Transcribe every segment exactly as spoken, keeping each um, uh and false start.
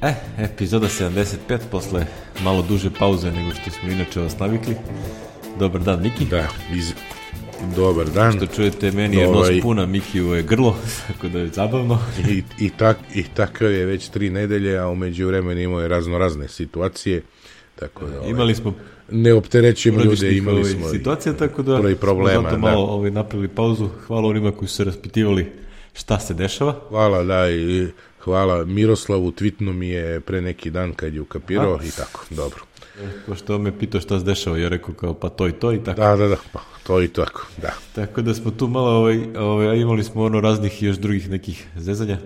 E, epizoda sedamdeset pet, posle malo duže pauze nego što smo inače vas navikli. Dobar dan, Miki. Da, iz... dobar dan. Što čujete, meni je ovaj... nos puna, Miki je grlo, tako da je zabavno. I, i, tak, i takav je već tri nedelje, a umeđu vremenu imao je razno razne situacije. Tako da, ovaj... Imali smo ne opterećujemo ljude, imali ovaj, smo situacija, tako da prvi problema, zato malo ovaj, napravili pauzu. Hvala onima koji su se raspitivali šta se dešava. Hvala, da, i hvala Miroslavu, tweetno mi je pre neki dan kad je ukapirao i tako, dobro. E, pošto on me pitao šta se dešava, ja rekao kao pa to i to i tako. Da, da, da, pa to i tako, da. Tako da smo tu malo, ovaj, ovaj, imali smo ono raznih i još drugih nekih zezanja.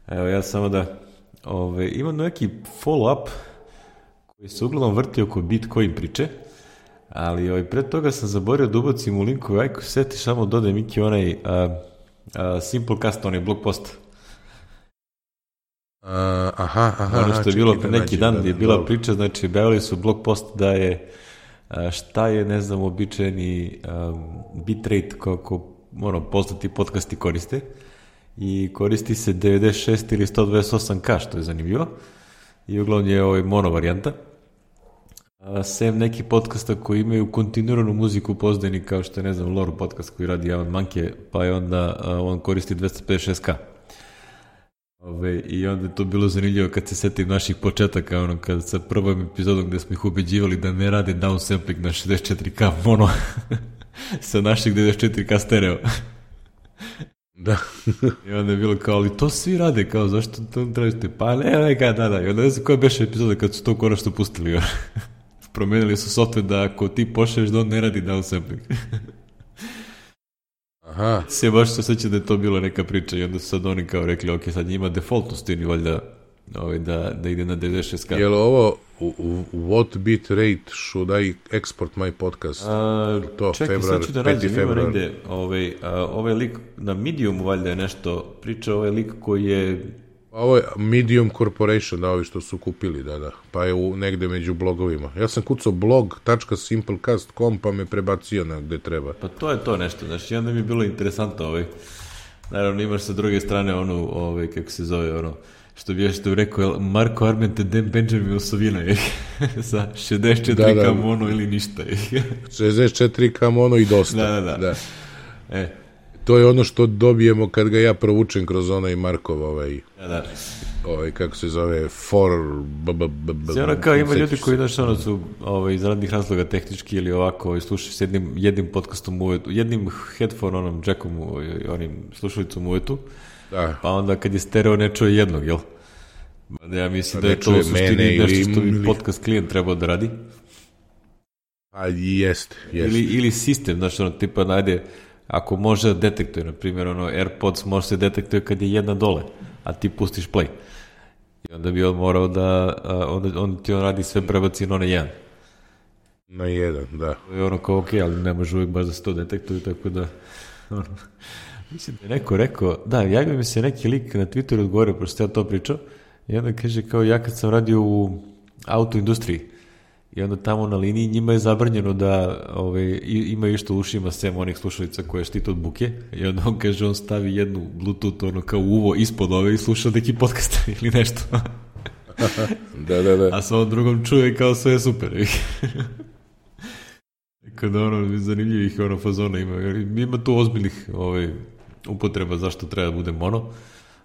Evo ja samo da ovaj, imam neki follow-up koji se uglavnom vrti oko Bitcoin priče, ali ovaj, pre toga sam zaborio da ubacim u linku, ajko seti samo dodaj Miki onaj a, a, Simplecast, onaj blog post. Uh, aha, aha. Ono što je bilo pre neki dan, da, je bila dobro. priča, znači objavili su blog post da je a, šta je, ne znam, običajni um, bitrate kako ono, poznati podcasti koriste i koristi se devedeset šest ili sto dvadeset osam ka, što je zanimljivo i uglavnom je ovaj mono varijanta. A, sem neki podcasta koji imaju kontinuiranu muziku pozdajni kao što je, ne znam, Lore podcast koji radi Javan Manke, pa je onda a, on koristi dvesta pedeset šest ka. Ove, i onda je to bilo zanimljivo kad se setim naših početaka, ono, kad sa prvom epizodom gde smo ih ubeđivali da ne rade downsampling na šezdeset četiri ka mono sa naših devedeset četiri ka stereo. Da. I onda je bilo kao, ali to svi rade, kao, zašto to tražite? Pa ne, neka, da, da. I onda ne znam koja beše epizoda kad su to konačno pustili. Promenili su software da ako ti pošalješ da on ne radi downsampling. Aha. Se baš se seća da je to bila neka priča i onda su sad oni kao rekli, ok, sad njima default ustini valjda ovaj, da, da ide na devedeset šest ka. Je li ovo u, u, what bit rate should I export my podcast? A, to, čekaj, februar, sad ću da peti nađem, ima februar. negde ovaj, a, ovaj lik na Mediumu valjda je nešto priča, ovaj lik koji je... Ovo je Medium Corporation, da, ovi što su kupili, da, da, pa je u, negde među blogovima. Ja sam kucao blog dot simplecast dot com pa me prebacio na gde treba. Pa to je to nešto, znači onda mi je bilo interesantno, ovaj, naravno imaš sa druge strane onu, ovaj, kako se zove, ono, što bi još što bi rekao, Marko Armente Den Benjamin Osovina, je, sa šezdeset četiri ka da, da. mono ili ništa. Je. šezdeset četiri ka mono i dosta. Da, da, da. da. E. To je ono što dobijemo kad ga ja provučem kroz onaj Markov, ovaj, Da, da. ovaj, kako se zove, for... B, b, b, b, Sve ono kao ima ljudi koji znaš, ono su ovaj, iz radnih razloga tehnički ili ovako ovaj, slušaju s jednim, jednim podcastom uvetu, jednim headphone onom jackom, onim slušalicom uvetu, da. Pa onda kad je stereo ne čuje jednog, jel? Da ja mislim da je to u suštini nešto što bi podcast klijent trebao da radi. A jest, jest. Ili, ili sistem, znaš, ono, tipa, najde, ako može da detektuje, na primjer, ono, AirPods može se detektuje kad je jedna dole, a ti pustiš play. I onda bi on morao da, onda, onda ti on radi sve prebaci na onaj jedan. Na jedan, da. To je ono kao, ok, ali ne može uvijek baš da se to detektuje, tako da, ono, mislim da je neko rekao, da, javio mi se neki lik na Twitteru odgovorio, pošto ja to pričao, i onda kaže kao, ja kad sam radio u autoindustriji, i onda tamo na liniji njima je zabranjeno da ove, imaju išto u ušima sem onih slušalica koje štite od buke i onda on kaže on stavi jednu bluetooth ono kao uvo ispod ove i sluša neki podcast ili nešto. Da, da, da. A sa ovom drugom čuje kao sve je super. Kada ono zanimljivih ono fazona ima. Ima tu ozbiljnih ove, upotreba zašto treba da bude mono.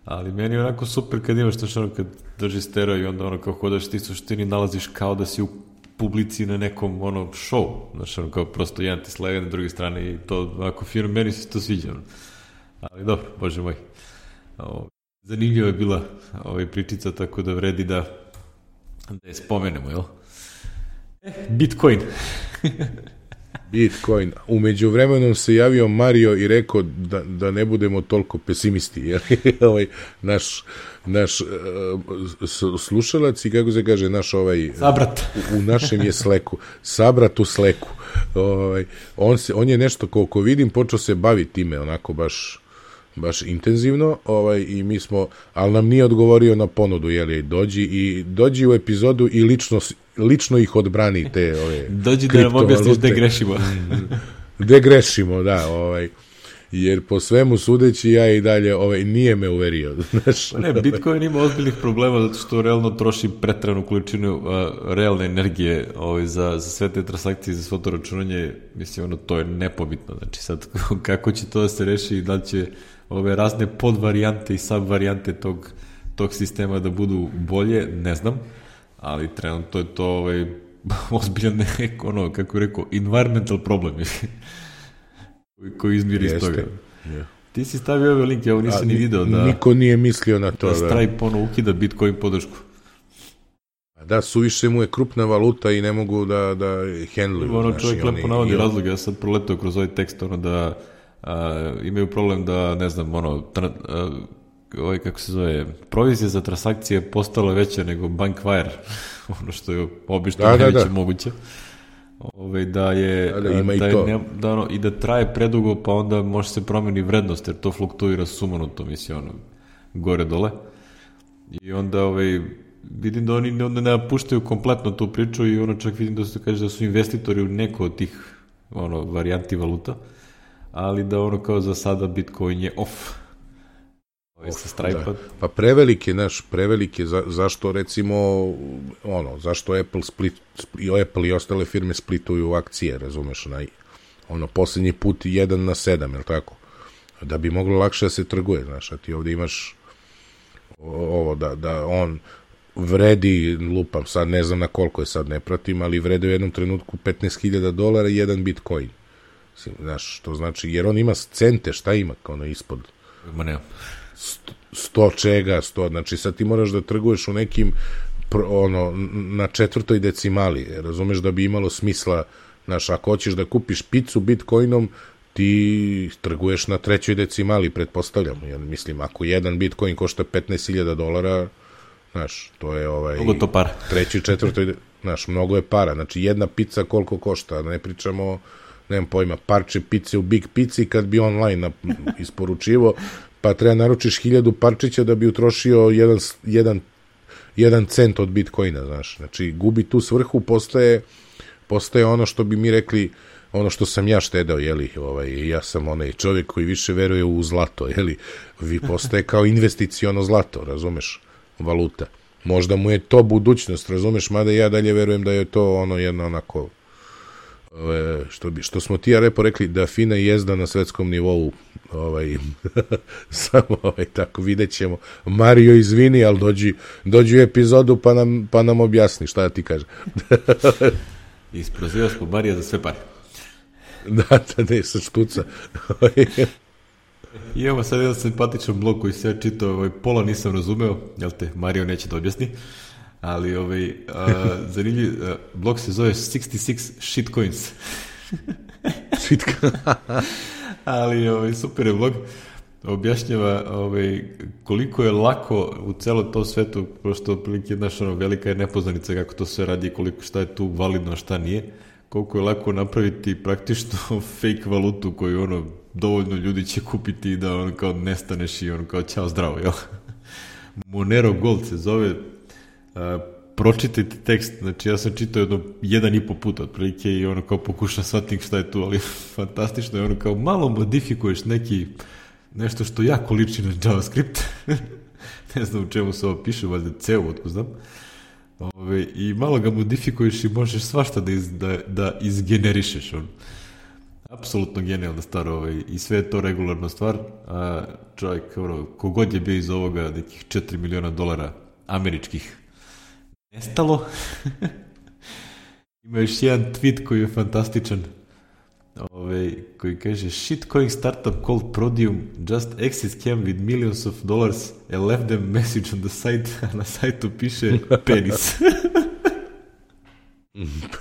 Ali meni je onako super kad imaš to što ono kad drži stereo i onda ono kao hodaš ti suštini nalaziš kao da si u publici na nekom ono show, znači ono kao prosto jedan ti sleve na druge strane i to ovako fino, meni se to sviđa. Ali dobro, bože moj. O, zanimljiva je bila ovaj pričica, tako da vredi da da je spomenemo, jel? E, Bitcoin. Bitcoin. Umeđu vremenom se javio Mario i rekao da, da ne budemo toliko pesimisti, jer ovaj, naš, naš uh, slušalac i kako se kaže, naš ovaj... Sabrat. U, u našem je Slacku. Sabrat u Slacku. Ovaj, on, se, on je nešto, koliko vidim, počeo se baviti time, onako baš baš intenzivno, ovaj, i mi smo, ali nam nije odgovorio na ponudu, jel, dođi i dođi u epizodu i lično, lično ih odbrani te ove dođi da nam objasniš gde grešimo. Gde grešimo, da, ovaj. jer po svemu sudeći ja i dalje ovaj, nije me uverio. Znaš, ne, Bitcoin ima ozbiljnih problema zato što realno troši pretranu količinu uh, realne energije ovaj, za, za sve te transakcije, za svo to računanje, mislim, ono, to je nepobitno. Znači, sad, kako će to da se reši i da će ove razne podvarijante i subvarijante tog, tog sistema da budu bolje, ne znam, ali trenutno je to ovaj, ozbiljan, ono, kako je rekao, environmental problem koji izmiri iz toga. Yeah. Ti si stavio ove linke, ovo nisam A, ni video da... Niko nije mislio na to. Da Stripe ono ukida Bitcoin podršku. Da, suviše mu je krupna valuta i ne mogu da, da handluju. Ono čovjek lepo navodi i... razloga, ja sad proletao kroz ovaj tekst, ono da a, imaju problem da, ne znam, ono, tra, a, ovaj, kako se zove, provizija za transakcije je postala veća nego bank wire, ono što je obično da, najveće da, da. moguće. Ove, da je, da, da, ima da je, i, to. Ne, da, ono, i da traje predugo, pa onda može se promeni vrednost, jer to fluktuira sumanuto, mislim, ono, gore dole. I onda ovaj, vidim da oni onda ne napuštaju kompletno tu priču i ono čak vidim da se kaže da su investitori u neko od tih ono, varijanti valuta, ali da ono kao za sada Bitcoin je off. Of, da. Pa prevelike, naš, prevelike, za, zašto recimo, ono, zašto Apple split, i Apple i ostale firme splituju akcije, razumeš, na, ono, posljednji put jedan na sedam, je li tako? Da bi moglo lakše da se trguje, znaš, a ti ovdje imaš ovo, da, da on vredi, lupam, sad ne znam na koliko je, sad ne pratim, ali vredi u jednom trenutku petnaest hiljada dolara i jedan Bitcoin. Znaš, to znači, jer on ima cente, šta ima, ono, ispod? Ma nema. sto čega, sto, znači sad ti moraš da trguješ u nekim ono, na četvrtoj decimali, razumeš, da bi imalo smisla, znaš, ako hoćeš da kupiš picu Bitcoinom, ti trguješ na trećoj decimali, pretpostavljam, ja mislim, ako jedan Bitcoin košta petnaest hiljada dolara, znaš, to je ovaj, mnogo to para. treći, četvrtoj, znaš, mnogo je para, znači jedna pizza koliko košta, ne pričamo, nemam pojma, parče pice u Big Pizzi kad bi online isporučivo, pa treba naručiš hiljadu parčića da bi utrošio jedan, jedan, jedan cent od Bitcoina, znaš. Znači, gubi tu svrhu, postaje, postaje ono što bi mi rekli, ono što sam ja štedao, jeli, ovaj, ja sam onaj čovjek koji više veruje u zlato, jeli, vi postaje kao investiciono zlato, razumeš, valuta. Možda mu je to budućnost, razumeš, mada ja dalje verujem da je to ono jedno onako, što, bi, što smo ti ja lepo rekli, da fina jezda na svetskom nivou, ovaj, samo ovaj, tako, vidjet ćemo. Mario, izvini, ali dođi, dođi u epizodu pa nam, pa nam objasni šta da ti kažem. Isprozivao smo Marija za sve pare. Da, da, ne, sa štuca. I evo sad jedan simpatičan blog koji se ja čitao, ovaj, pola nisam razumeo, jel te, Mario neće da objasni, ali ovaj, a, zanimljiv, a, blog se zove šezdeset šest shitcoins. Ali ovaj, super je blog, objašnjava ovaj, koliko je lako u celom tom svetu, prosto otprilike naša ono, velika je nepoznanica kako to sve radi, koliko šta je tu validno, a šta nije, koliko je lako napraviti praktično fake valutu koju ono, dovoljno ljudi će kupiti da on kao nestaneš i on kao ćao zdravo, jel? Monero Gold se zove, a, pročitajte tekst, znači ja sam čitao jedno jedan i po puta otprilike i ono kao pokušam shvatim šta je tu, ali fantastično je ono kao malo modifikuješ neki nešto što jako liči na JavaScript, ne znam u čemu se ovo piše, valjda C U, otko znam, ove, i malo ga modifikuješ i možeš svašta da, iz, da, da izgenerišeš, on. Apsolutno genijalna stvar, ovaj, i sve je to regularna stvar, a čovjek, ono, kogod je bio iz ovoga nekih četiri miliona dolara američkih nestalo. Ima još jedan tweet koji je fantastičan, ovaj, koji kaže shitcoin startup called Prodium just exit scam with millions of dollars and left them message on the site, a na sajtu piše penis.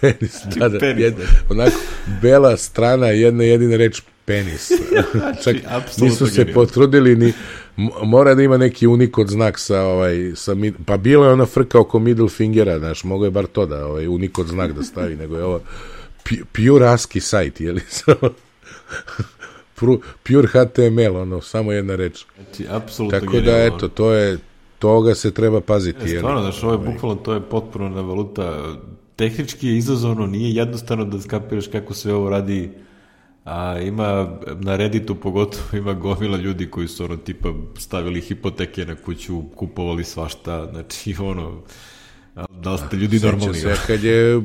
Penis, da, da, penis. Jedna, onako, bela strana, jedna jedina reč penis. Čak nisu se potrudili ni, mora da ima neki unikod znak sa, ovaj, sa, pa bilo je ona frka oko middle fingera, znaš, mogo je bar to da, ovaj, unikod znak da stavi, nego je ovo pure ASCII sajt, jeli, pure H T M L, ono, samo jedna reč. Znači, apsolutno tako da, eto, to je, toga se treba paziti. Je, stvarno, znaš, ovo je bukvalno, to je potpuno na valuta. Tehnički je izazovno, nije jednostavno da skapiraš kako sve ovo radi A ima, na Redditu pogotovo ima gomila ljudi koji su ono tipa stavili hipoteke na kuću, kupovali svašta, znači ono, da li ste ljudi normalni? Sećam se kad je,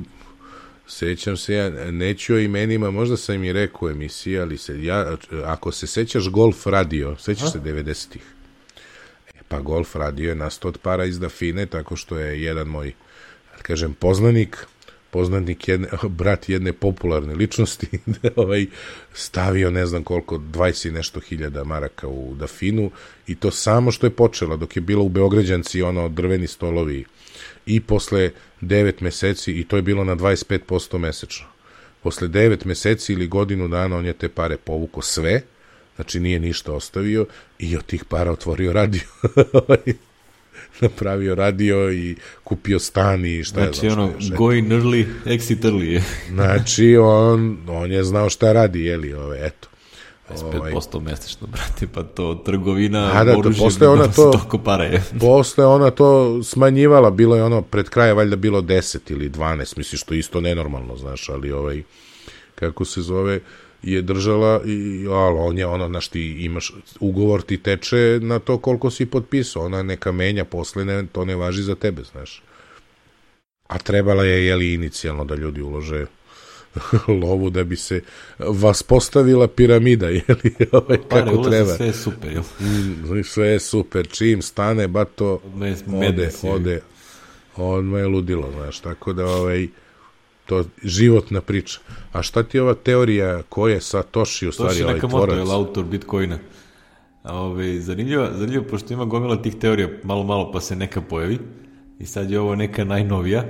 sećam se ja, neću o imenima, možda sam im i rekao u emisiji, ali se, ja, ako se sećaš Golf radio, sećaš se devedesetih? E, pa Golf radio je nastao od para iz Dafine, tako što je jedan moj, kažem, poznanik, poznanik jedne, brat jedne popularne ličnosti, ovaj, stavio ne znam koliko, dvadeset i nešto hiljada maraka u Dafinu i to samo što je počelo, dok je bilo u Beograđanci ono drveni stolovi i posle devet meseci, i to je bilo na dvadeset pet posto mesečno. Posle devet meseci ili godinu dana on je te pare povuko sve, znači nije ništa ostavio i od tih para otvorio radio. Napravio radio i kupio stan i šta znači, je. Znači ono, go in early, exit early. Znači on, on je znao šta radi, jeli, ove, eto. dvadeset pet posto mesečno, brate, pa to trgovina, a da, oružje, posle ona to, toliko para je. Posle ona to smanjivala, bilo je ono, pred kraja valjda bilo deset ili dvanaest, misli što isto nenormalno, znaš, ali ovaj, kako se zove, je držala i ali on je ono, znaš, ti imaš ugovor ti teče na to koliko si potpisao, ona neka menja posle, ne, to ne važi za tebe, znaš. A trebala je, jeli, inicijalno da ljudi ulože lovu da bi se vas postavila piramida, jeli, ovaj, kako ulaze, treba. Sve je super, jel? Mm, sve je super, čim stane, ba to ode, ode, odmah je ludilo, znaš, tako da, ovaj, to životna priča. A šta ti je ova teorija ko je Satoshi u stvari ovaj tvorac? Toshi Nakamoto je autor Bitcoina. Ove, zanimljivo, zanimljivo, pošto ima gomila tih teorija, malo, malo pa se neka pojavi. I sad je ovo neka najnovija,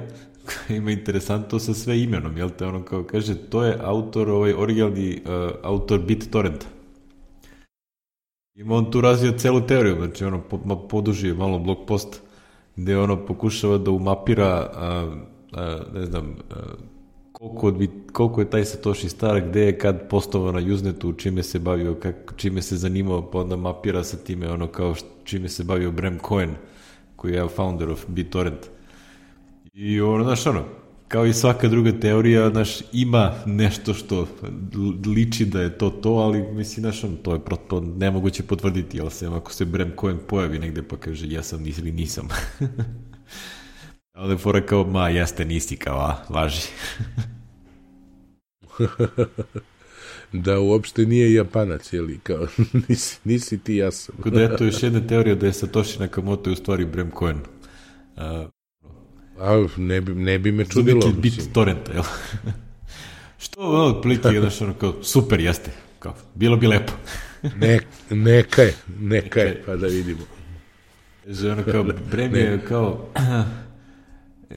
koja ima interesantno sa sve imenom, jel te, ono kao kaže, to je autor, ovaj originalni uh, autor BitTorrenta. Ima on tu razvio celu teoriju, znači ono, po, podužio malo blog post, gde ono pokušava da umapira, uh, uh, ne znam, uh, koliko, bi, koliko je taj Satoshi star, gde je kad postovao na Usenetu, čime se bavio, kak, čime se zanimao, pa onda mapira sa time, ono kao čime se bavio Bram Cohen, koji je founder of BitTorrent. I ono, znaš, ono, kao i svaka druga teorija, znaš, ima nešto što liči da je to to, ali mislim, znaš, ono, to je proto nemoguće potvrditi, jel se, ako se Bram Cohen pojavi negde pa kaže ja sam nis ili nisam. Ali fora kao, ma, jeste, nisi, kao, a, važi. Da uopšte nije Japanac, jeli, kao, nisi, nisi ti ja sam. Tako da je to još jedna teorija da je Satoshi Nakamoto u stvari Bram Cohen. Uh, a, ne bi, ne bi me čudilo. Zubitelj BitTorrenta, jel? Što, ono, otprilike, znaš, ono, kao, super, jeste, kao, bilo bi lepo. ne, neka je, neka je, pa da vidimo. Že ono, kao, Bram je, kao,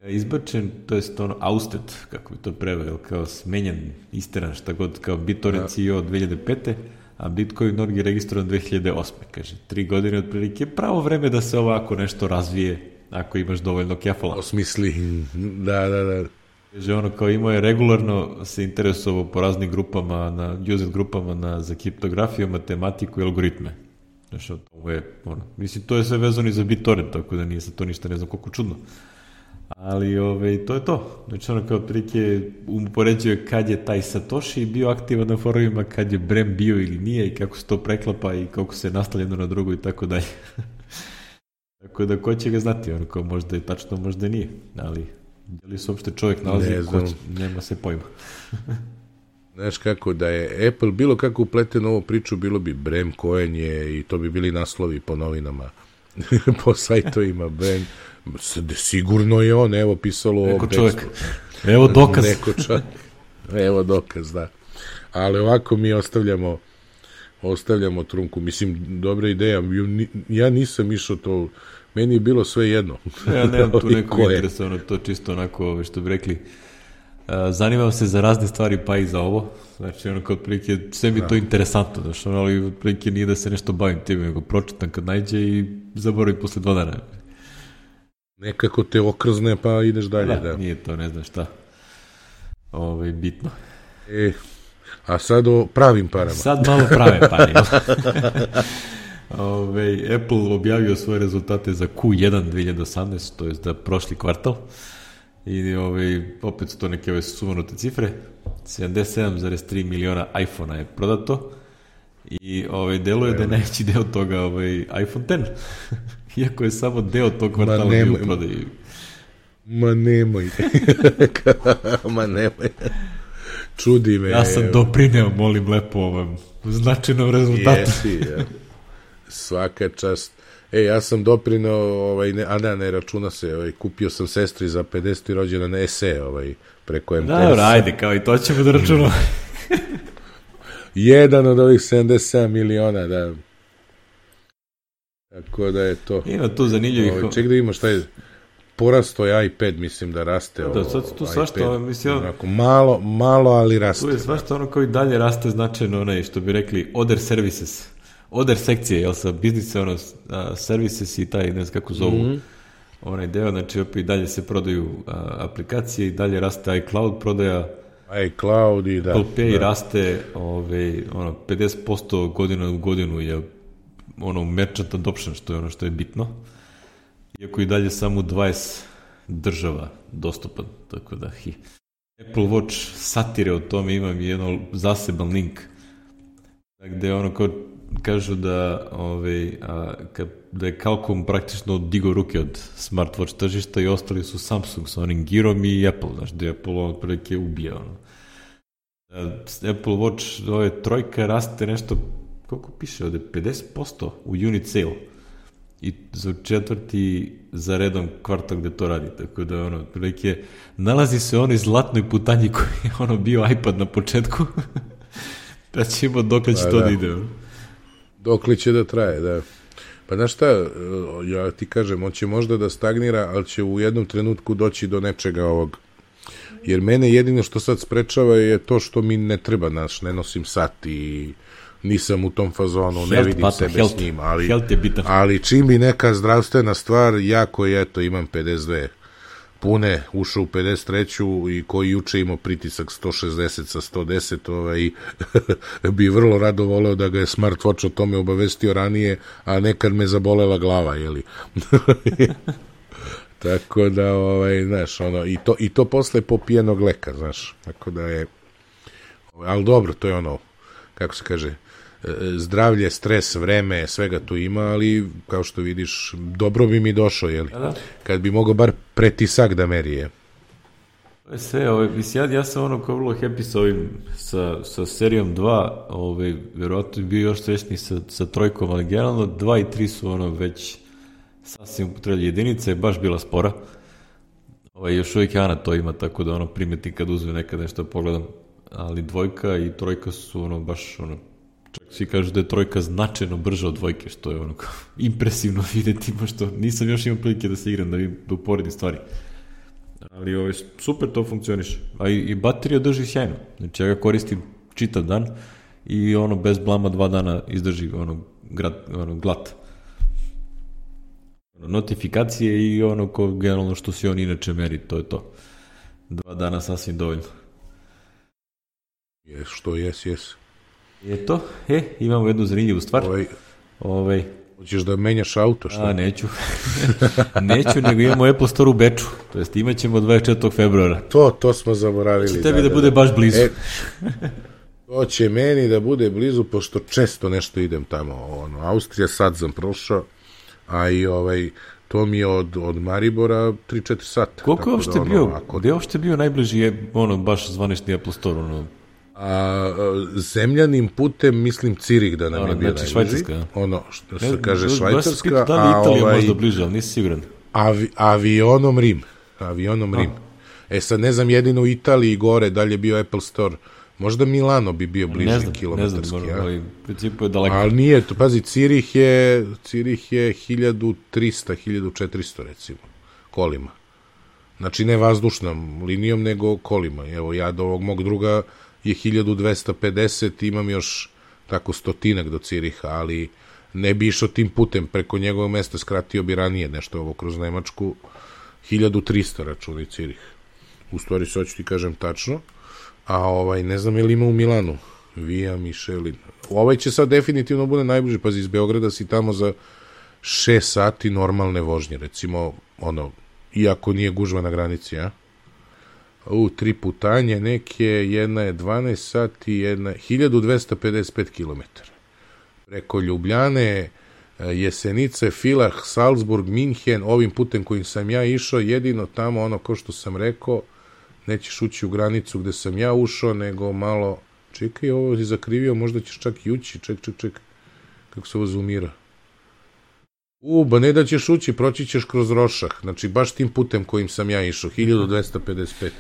izbačen, to jest ono, ousted, kako bi to preveo, kao smenjen, isteran, šta god, kao BitTorrent C E O dve hiljade pete. a Bitcoin org je registrovan dve hiljade osme. Kaže, tri godine otprilike, pravo vreme da se ovako nešto razvije, ako imaš dovoljno kefala. Osmisli, da, da, da. Kaže, ono, kao imao je regularno se interesovao po raznim grupama, na user grupama na, za kriptografiju, matematiku i algoritme. Znaš, ovo je, ono, mislim, to je sve vezano i za BitTorrent, tako da nije sa to ništa, ne znam koliko čudno. Ali ove, to je to. Znači ono kao otprilike upoređuje kad je taj Satoshi bio aktivan na forumima, kad je Bram bio ili nije i kako se to preklapa i kako se nastavlja jedno na drugo i tako dalje. Tako da ko će ga znati, ono kao možda je tačno, možda nije, ali je li se uopšte čovjek nalazi, ne ko će, nema se pojma. Znaš kako, da je Apple bilo kako upleten ovu priču, bilo bi Bram Cohen je i to bi bili naslovi po novinama, po sajtovima, Bram. Sigurno je on, evo pisalo u ovom tekstu. Evo dokaz. Neko čovjek. Evo dokaz, da. Ali ovako mi ostavljamo ostavljamo trunku. Mislim, dobra ideja. Ja nisam išao to, meni je bilo sve jedno. Ja nemam tu nekog interesa, ono, to čisto onako, što bi rekli, zanimam se za razne stvari, pa i za ovo. Znači, ono, kao otprilike, sve mi je to interesantno, znači, ono, ali otprilike nije da se nešto bavim tim, nego pročitam kad najđe i zaboravim posle dva dana. Nekako te okrzne, pa ideš dalje. Da, da. Nije to, ne znam šta. Ove, bitno. E, a sad o pravim parama. Sad malo prave pare. Ove, Apple objavio svoje rezultate za Q jedan dve hiljade osamnaeste, to je za prošli kvartal. I ovaj, opet su to neke ove sumanute cifre. sedamdeset sedam zarez tri miliona iPhone-a je prodato i ovaj, deluje da je najveći deo toga ovaj, iPhone X. Iako je samo deo tog kvartala bio u prodaji. Ma nemoj. Ma nemoj. Čudi me. Ja sam doprineo, molim lepo, ovom značajnom rezultatu. Jesi, ja. Svaka čast. E, ja sam doprineo, ovaj, ne, a ne, ne računa se, ovaj, kupio sam sestri za pedeseti rođendan ese, ovaj, preko em te es. Da, ajde, kao i to ćemo da računamo. Jedan od ovih sedamdeset sedam miliona, da. Tako da je to. Ima tu zanimljivih. Ovaj, ček da ima šta je, porasto je iPad, mislim da raste. Da, sad tu svašta, mislim. Onako, malo, malo, ali raste. Tu je svašta ono koji dalje raste značajno, onaj, što bi rekli, other services. Other sekcije, jel sa biznise, ono, a, services i taj, ne znam kako zovu, mm-hmm. onaj deo, znači opet i dalje se prodaju a, aplikacije i dalje raste iCloud prodaja, iCloud i da. Apple Pay da. Raste ove, ono, pedeset posto godina u godinu je ono merchant adoption, što je ono što je bitno. Iako i dalje samo dvadeset država dostupan, tako da hi. Apple Watch satire o tome, imam jedan zaseban link gde ono kao kažu da, ovaj, a, kad, da je Qualcomm praktično digo ruke od smartwatch tržišta i ostali su Samsung sa onim Gearom i Apple, znaš, da je Apple ono prilike ubija. Ono. Apple Watch, ove trojka raste nešto, koliko piše ovde, pedeset posto u unit sale i za četvrti za redom kvartal gde to radi, tako da ono, prilike, nalazi se onoj zlatnoj putanji koji je ono bio iPad na početku, da ćemo dokle će to da ide. Dokle će da traje, da. Pa znaš šta, ja ti kažem, on će možda da stagnira, ali će u jednom trenutku doći do nečega ovog. Jer mene jedino što sad sprečava je to što mi ne treba, naš, ne nosim sat i nisam u tom fazonu, health, ne vidim bata, sebe health, s njim, ali, ali čim bi neka zdravstvena stvar, ja koji eto imam pedeset dve pune, ušao u pedeset treću i koji juče imao pritisak sto šezdeset sa sto deset, ovaj, bi vrlo rado voleo da ga je smartwatch o tome obavestio ranije, a nekad me zabolela glava, jeli? Tako da, ovaj, znaš, ono, i to, i to posle popijenog leka, znaš, tako da je, ali dobro, to je ono, kako se kaže, zdravlje, stres, vreme, svega tu ima, ali kao što vidiš, dobro bi mi došao, jeli? Da. Kad bi mogao bar pretisak da merije. To je sve, ovaj, mislim, ja, ja sam ono kao vrlo happy sa ovim, sa, sa serijom dva, ovaj, verovatno bi bio još srećni sa, sa trojkom, ali generalno dva i tri su ono već sasvim upotrebljene jedinice, je baš bila spora. Ovaj, još uvijek Ana to ima, tako da ono primeti kad uzme nekad nešto pogledam, ali dvojka i trojka su ono baš ono, čak svi kažu da je trojka značajno brža od dvojke, što je ono kao impresivno videti, pošto nisam još imao prilike da se igram, da, da uporedim stvari. Ali ovaj, super to funkcioniše. A i, i baterija drži sjajno. Znači ja ga koristim čitav dan i ono bez blama dva dana izdrži ono, grad, ono glat. Notifikacije i ono ko generalno što se on inače meri, to je to. Dva dana sasvim dovoljno. Jes, što jes, jes. Je to? E, imamo jednu zanimljivu stvar. Ovaj, ovaj. Hoćeš da menjaš auto, što? A, neću. Neću, nego imamo Apple Store u Beču. To jest imat ćemo dvadeset četvrtog februara. To, to smo zaboravili. Će tebi da, da bude da, baš blizu. E, to će meni da bude blizu, pošto često nešto idem tamo. Ono, Austrija sad sam prošao, a i ovaj, to mi je od, od Maribora tri četiri sata. Koliko je uopšte da, ono, bio, ako... gde je uopšte bio najbliži je, ono, baš zvanični Apple Store, ono? A, zemljanim putem, mislim, Cirih da nam ono, je bio znači, najbliži. Ja. Ono, što se ne, kaže Švajcarska. Da li Italija ovaj, možda bliže, ali nisi siguran. Avi, avionom Rim. Avionom Rim. E sad, ne znam, jedino u Italiji gore, da li je bio Apple Store. Možda Milano bi bio bliži kilometarski. Ne znam, ali u principu je daleko. Ali nije to, pazi, Cirih je, Cirih je hiljadu trista, hiljadu četiristo recimo, kolima. Znači, ne vazdušnom linijom, nego kolima. Evo, ja do ovog mog druga je hiljadu dvesta pedeset, imam još tako stotinak do Ciriha, ali ne bi išao tim putem, preko njegovog mesta skratio bi ranije nešto ovo kroz Nemačku, hiljadu trista računi Cirih. U stvari, sad ću ti kažem tačno, a ovaj, ne znam je li ima u Milanu, Via Michelin. Ovaj će sad definitivno bude najbliže, pazi, iz Beograda si tamo za šest sati normalne vožnje, recimo, ono, iako nije gužva na granici, ja? u tri putanje neke, jedna je dvanaest sati, jedna je hiljadu dvesta pedeset pet kilometara. Preko Ljubljane, Jesenice, Villach, Salzburg, Minhen, ovim putem kojim sam ja išao, jedino tamo ono ko što sam rekao, nećeš ući u granicu gde sam ja ušao, nego malo, čekaj, ovo si zakrivio, možda ćeš čak i ući, ček, ček, ček, kako se ovo zoomira. U, ba ne da ćeš ući, proći ćeš kroz Rošah, znači baš tim putem kojim sam ja išao, hiljadu dvesta pedeset pet.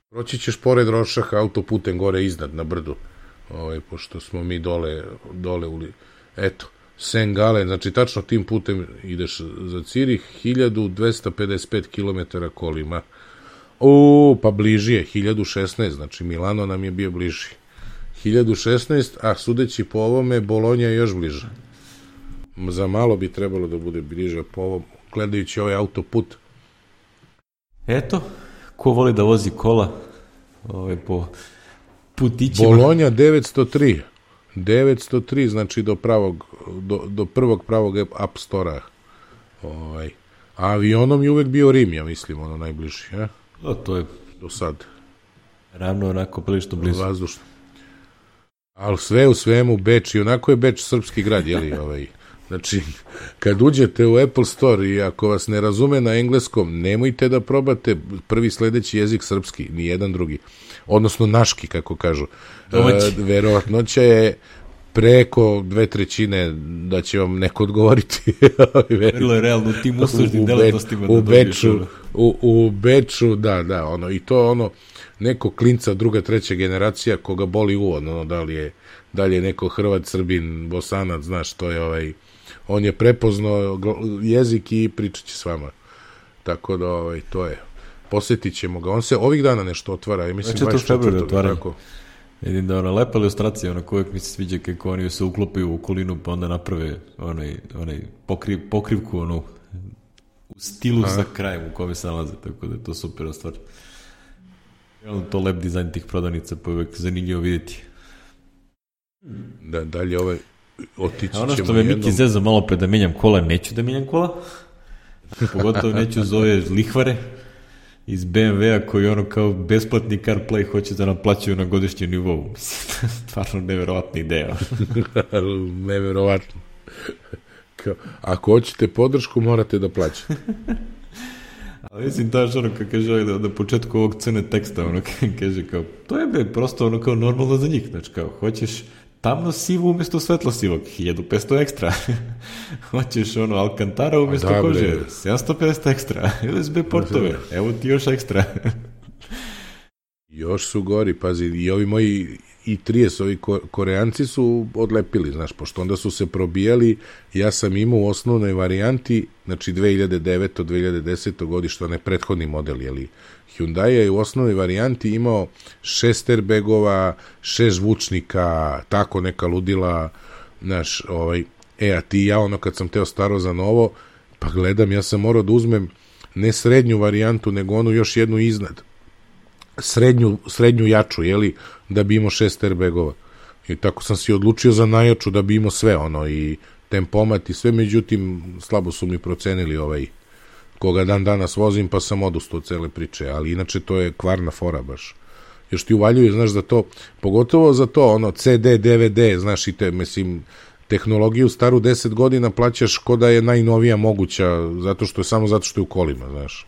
Proći ćeš pored Rošaha autoputem gore iznad na brdu, ovaj, pošto smo mi dole, dole uli, eto, Saint Gallen, znači tačno tim putem ideš za Cirih, hiljadu dvesta pedeset pet kilometara kolima. O, pa bliži je, hiljadu šesnaest, znači Milano nam je bio bliži. hiljadu šesnaest, a sudeći po ovome, Bolonja je još bliža. Za malo bi trebalo da bude bliže po ovom, gledajući ovaj autoput. Eto, ko voli da vozi kola ovaj, po putićima. Bolonja devetsto tri. devetsto tri, znači do pravog, do, do prvog pravog App Store-a. Ovaj. A avionom je uvek bio Rim, ja mislim, ono najbliži, ja? O, to je do sad. Ravno onako prilično blizu. Vazdušno. Ali sve u svemu Beč, i onako je Beč srpski grad, jeli, ovaj. Znači, kad uđete u Apple Store i ako vas ne razume na engleskom, nemojte da probate prvi sledeći jezik srpski, ni jedan drugi. Odnosno naški, kako kažu. E, verovatnoća je preko dve trećine da će vam neko odgovoriti. Vrlo je realno u tim uslužnim delatnostima. U, Beču, u, u Beču, da, da, ono, i to ono, neko klinca druga, treća generacija koga boli uvo, ono, da li je, da li je neko Hrvat, Srbin, Bosanac, znaš, to je ovaj, on je prepoznao jezik i pričat će s vama. Tako da, ovaj, to je. Posjetit ćemo ga. On se ovih dana nešto otvara. Ja mislim dvadeset četvrtog otvara. Vidim da je ona lepa ilustracija, ona kojeg mi se sviđa kako oni se uklopaju u okolinu pa onda naprave onaj, onaj pokriv, pokrivku ono, u stilu A? za krajem u kome se nalaze. Tako da je to super stvar. Ono to lep dizajn tih prodavnica pa uvek zanimljivo vidjeti. Da, dalje ovaj otići ćemo ono što me jednom... Miki zeza malo pre da menjam kola, neću da menjam kola. Pogotovo neću uz ove lihvare iz be em ve-a koji ono kao besplatni CarPlay hoće da naplaćaju na godišnjem nivou. Mislim, stvarno neverovatna ideja. Neverovatno. Kao, ako hoćete podršku, morate da plaćate. Ali mislim, to je ono kao kaže da na početku ovog crne teksta, ono kaže kao, to je be, prosto ono kao normalno za njih. Znači kao, hoćeš tamno sivu umjesto svetlo sivog, hiljadu petsto ekstra. Hoćeš ono Alcantara umjesto da, kože, sedamsto pedeset ekstra. U es be portove, evo ti još ekstra. Još su gori, pazi, i ovi moji i trideset, ovi ko, Koreanci su odlepili, znaš, pošto onda su se probijali, ja sam imao u osnovnoj varijanti, znači dve hiljade devete do dve hiljade desete godište, onaj prethodni model, jeli, Hyundai je u osnovnoj varijanti imao šest airbagova, šest zvučnika, tako neka ludila, znaš, ovaj, e, a ti ja, ono, kad sam teo staro za novo, pa gledam, ja sam morao da uzmem ne srednju varijantu, nego onu još jednu iznad, srednju, srednju jaču, jeli, da bi imao šest airbagova. I tako sam si odlučio za najjaču da bi imao sve, ono, i tempomat i sve, međutim, slabo su mi procenili ovaj, koga dan danas vozim, pa sam odustao od cele priče, ali inače to je kvarna fora baš. Još ti uvaljuje, znaš, za to, pogotovo za to, ono, ce de, de ve de, znaš, i te, mislim, tehnologiju staru deset godina plaćaš ko da je najnovija moguća, zato što je, samo zato što je u kolima, znaš.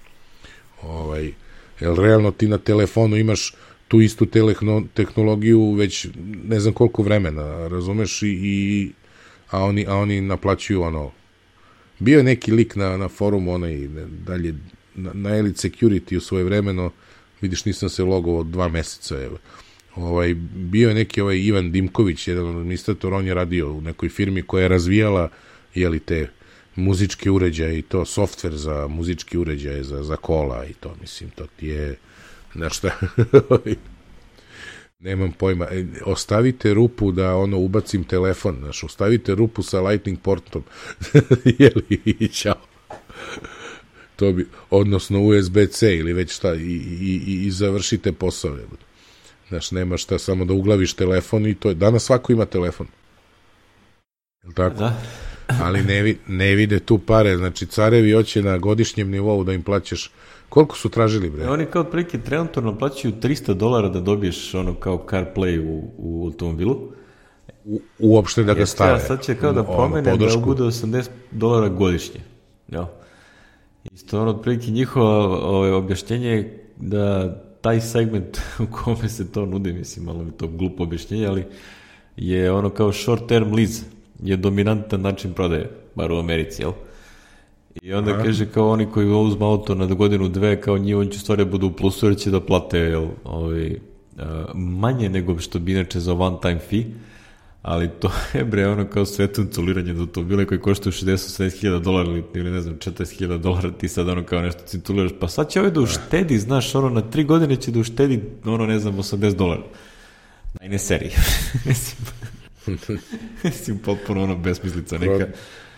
Ovaj, jer realno ti na telefonu imaš tu istu telehno, tehnologiju već ne znam koliko vremena, razumeš, i, i a, oni, a oni naplaćuju ono. Bio je neki lik na, na forumu, onaj, dalje, na, na Elite Security u svoje vremeno, vidiš, nisam se logovao dva meseca, evo. Ovaj, bio je neki ovaj Ivan Dimković, jedan administrator, on je radio u nekoj firmi koja je razvijala, jeli, te muzičke uređaje i to, softver za muzički uređaje, za, za kola i to, mislim, to ti je, znaš šta, nemam pojma, e, ostavite rupu da, ono, ubacim telefon, znaš, ostavite rupu sa lightning portom, jeli, i ćao. To bi, odnosno u es be ce ili već šta, i, i, i, i završite posao, znaš, nema šta, samo da uglaviš telefon i to je, danas svako ima telefon. Je li tako? Da. ali ne, vi, ne vide tu pare, znači carevi hoće na godišnjem nivou da im plaćaš. Koliko su tražili, bre? E, oni kao otprilike trenutno naplaćuju tristo dolara da dobiješ ono kao CarPlay u, u automobilu. U, uopšte da ga stave. Ja, sad će kao da promene da bude osamdeset dolara godišnje. Ja. Isto ono, otprilike njihovo ovaj, objašnjenje je da taj segment u kome se to nudi, mislim, malo mi to glupo objašnjenje, ali je ono kao short term lease, je dominantan način prodaje, bar u Americi, jel? I onda Aha. kaže kao oni koji uzme auto na godinu dve, kao njih, on će stvari budu u plusu jer će da plate jel, ovaj, manje nego što bi inače za one time fee, ali to je bre ono kao svetu inculiranje do automobile koji koštaju šezdeset do sedamdeset hiljada dolara ili, ili ne znam četrdeset hiljada dolara, ti sad ono kao nešto cinculiraš, pa sad će ovaj da uštedi, znaš, ono na tri godine će da uštedi ono ne znam osamdeset dolara. Najne serije. Mislim, potpuno ono besmislica neka.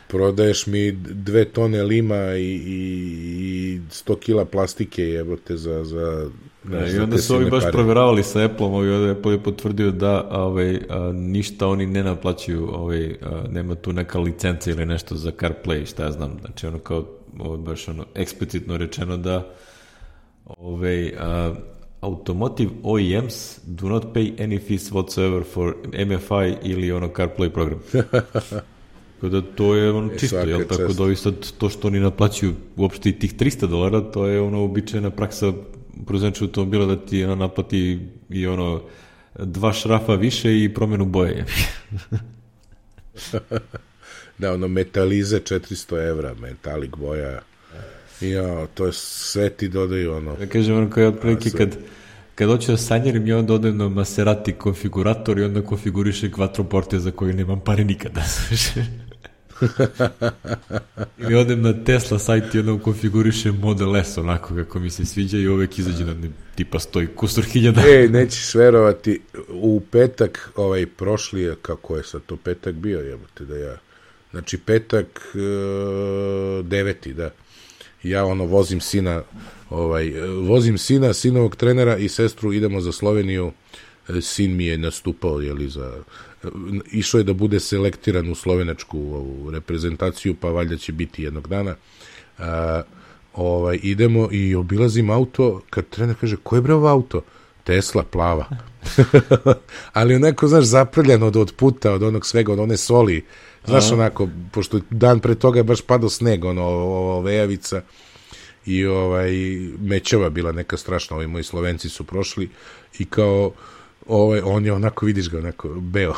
Prodaješ mi dve tone lima i, i, i sto kila plastike jebote za... za da, i onda su ovi baš pare. Proveravali sa Apple-om, ovaj, Apple je potvrdio da ovaj, a, ništa oni ne naplaćuju, ovaj, a, nema tu neka licenca ili nešto za CarPlay, šta ja znam, znači ono kao ovaj, baš ono eksplicitno rečeno da ovaj, a, automotive O E Ms do not pay any fees whatsoever for M F I ili ono CarPlay program. Da to je ono čisto, e, jel, tako da ovi sad to što oni naplaćuju uopšte i tih tristo dolara, to je ono običajna praksa proizvođača automobila da ti ono, naplati i ono dva šrafa više i promenu boje. Da, ono metalize četiristo evra, metalik boja. Ja, to je sve ti dodaju ono. Ja kažem ono kao je otprilike kad kad hoću da sanjerim i onda odem na Maserati konfigurator i onda konfiguriše quattroporte za koje nemam pare nikada. Ili odem na Tesla sajt i onda konfiguriše Model S onako kako mi se sviđa i uvek izađe na tipa stoji kusur hiljada. Ej, nećeš verovati, u petak, ovaj prošli je, kako je sad to petak bio, jebote da ja, znači petak uh, deveti, da, ja ono vozim sina, ovaj, vozim sina, sinovog trenera i sestru, idemo za Sloveniju, sin mi je nastupao, jeli, za, išao je da bude selektiran u slovenačku ovu reprezentaciju, pa valjda će biti jednog dana. A, ovaj, idemo i obilazim auto, kad trener kaže, ko je bre ovo auto? Tesla, plava. Ali onako, znaš, zaprljano od, od puta, od onog svega, od one soli, znaš, Aha. onako, pošto dan pre toga je baš padao sneg, ono, ovo, vejavica, i ovaj, mećava bila neka strašna, ovi moji Slovenci su prošli, i kao, ovaj, on je onako, vidiš ga, onako, beo.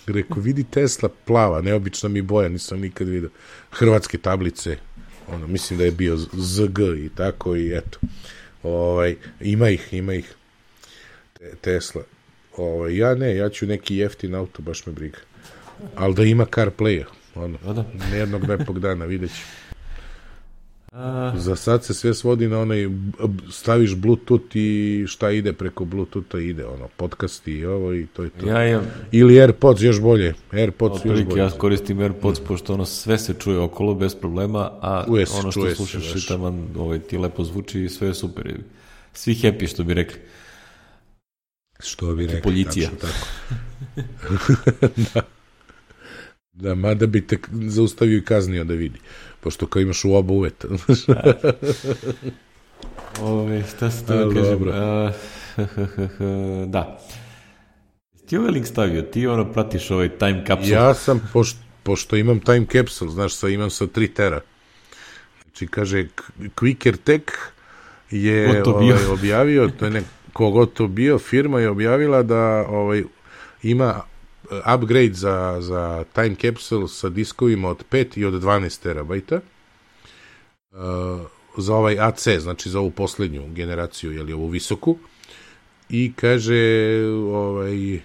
Rekao, vidi Tesla, plava, neobična mi boja, nisam nikad vidio. Hrvatske tablice, ono, mislim da je bio Z G i tako, i eto. Ovaj, ima ih, ima ih. Tesla. Ovaj, ja ne, ja ću neki jeftin auto, baš me briga. Ali da ima CarPlay-a, ono, nejednog lepog dana, vidjet ću. A... Za sad se sve svodi na onaj, staviš Bluetooth i šta ide preko Bluetootha ide, ono, podcasti i ovo i to je to. Ja, ja. Ili AirPods, još bolje. AirPods Otprilike, još bolje. Ja koristim AirPods, mm. pošto ono sve se čuje okolo bez problema, a Uje ono što slušaš i tamo ovaj, ti lepo zvuči i sve je super. Svi happy, što bi rekli. Što bi rekli, policija. Tako. Da. Da, mada bi te zaustavio i kaznio da vidi, pošto kao imaš u oba uveta. Ove, šta se to da kažem? Uh, da. Ti ovaj link stavio, ti ono pratiš ovaj time capsule? Ja sam, pošto, pošto imam time capsule, znaš, sa, imam sa tri tera. Znači, kaže, Quicker Tech je ovaj, objavio, to je nek, kogod to bio, firma je objavila da ovaj, ima upgrade za, za time capsule sa diskovima od pet i od dvanaest terabajta uh, za ovaj A C, znači za ovu poslednju generaciju, jeli ovu visoku, i kaže ovaj,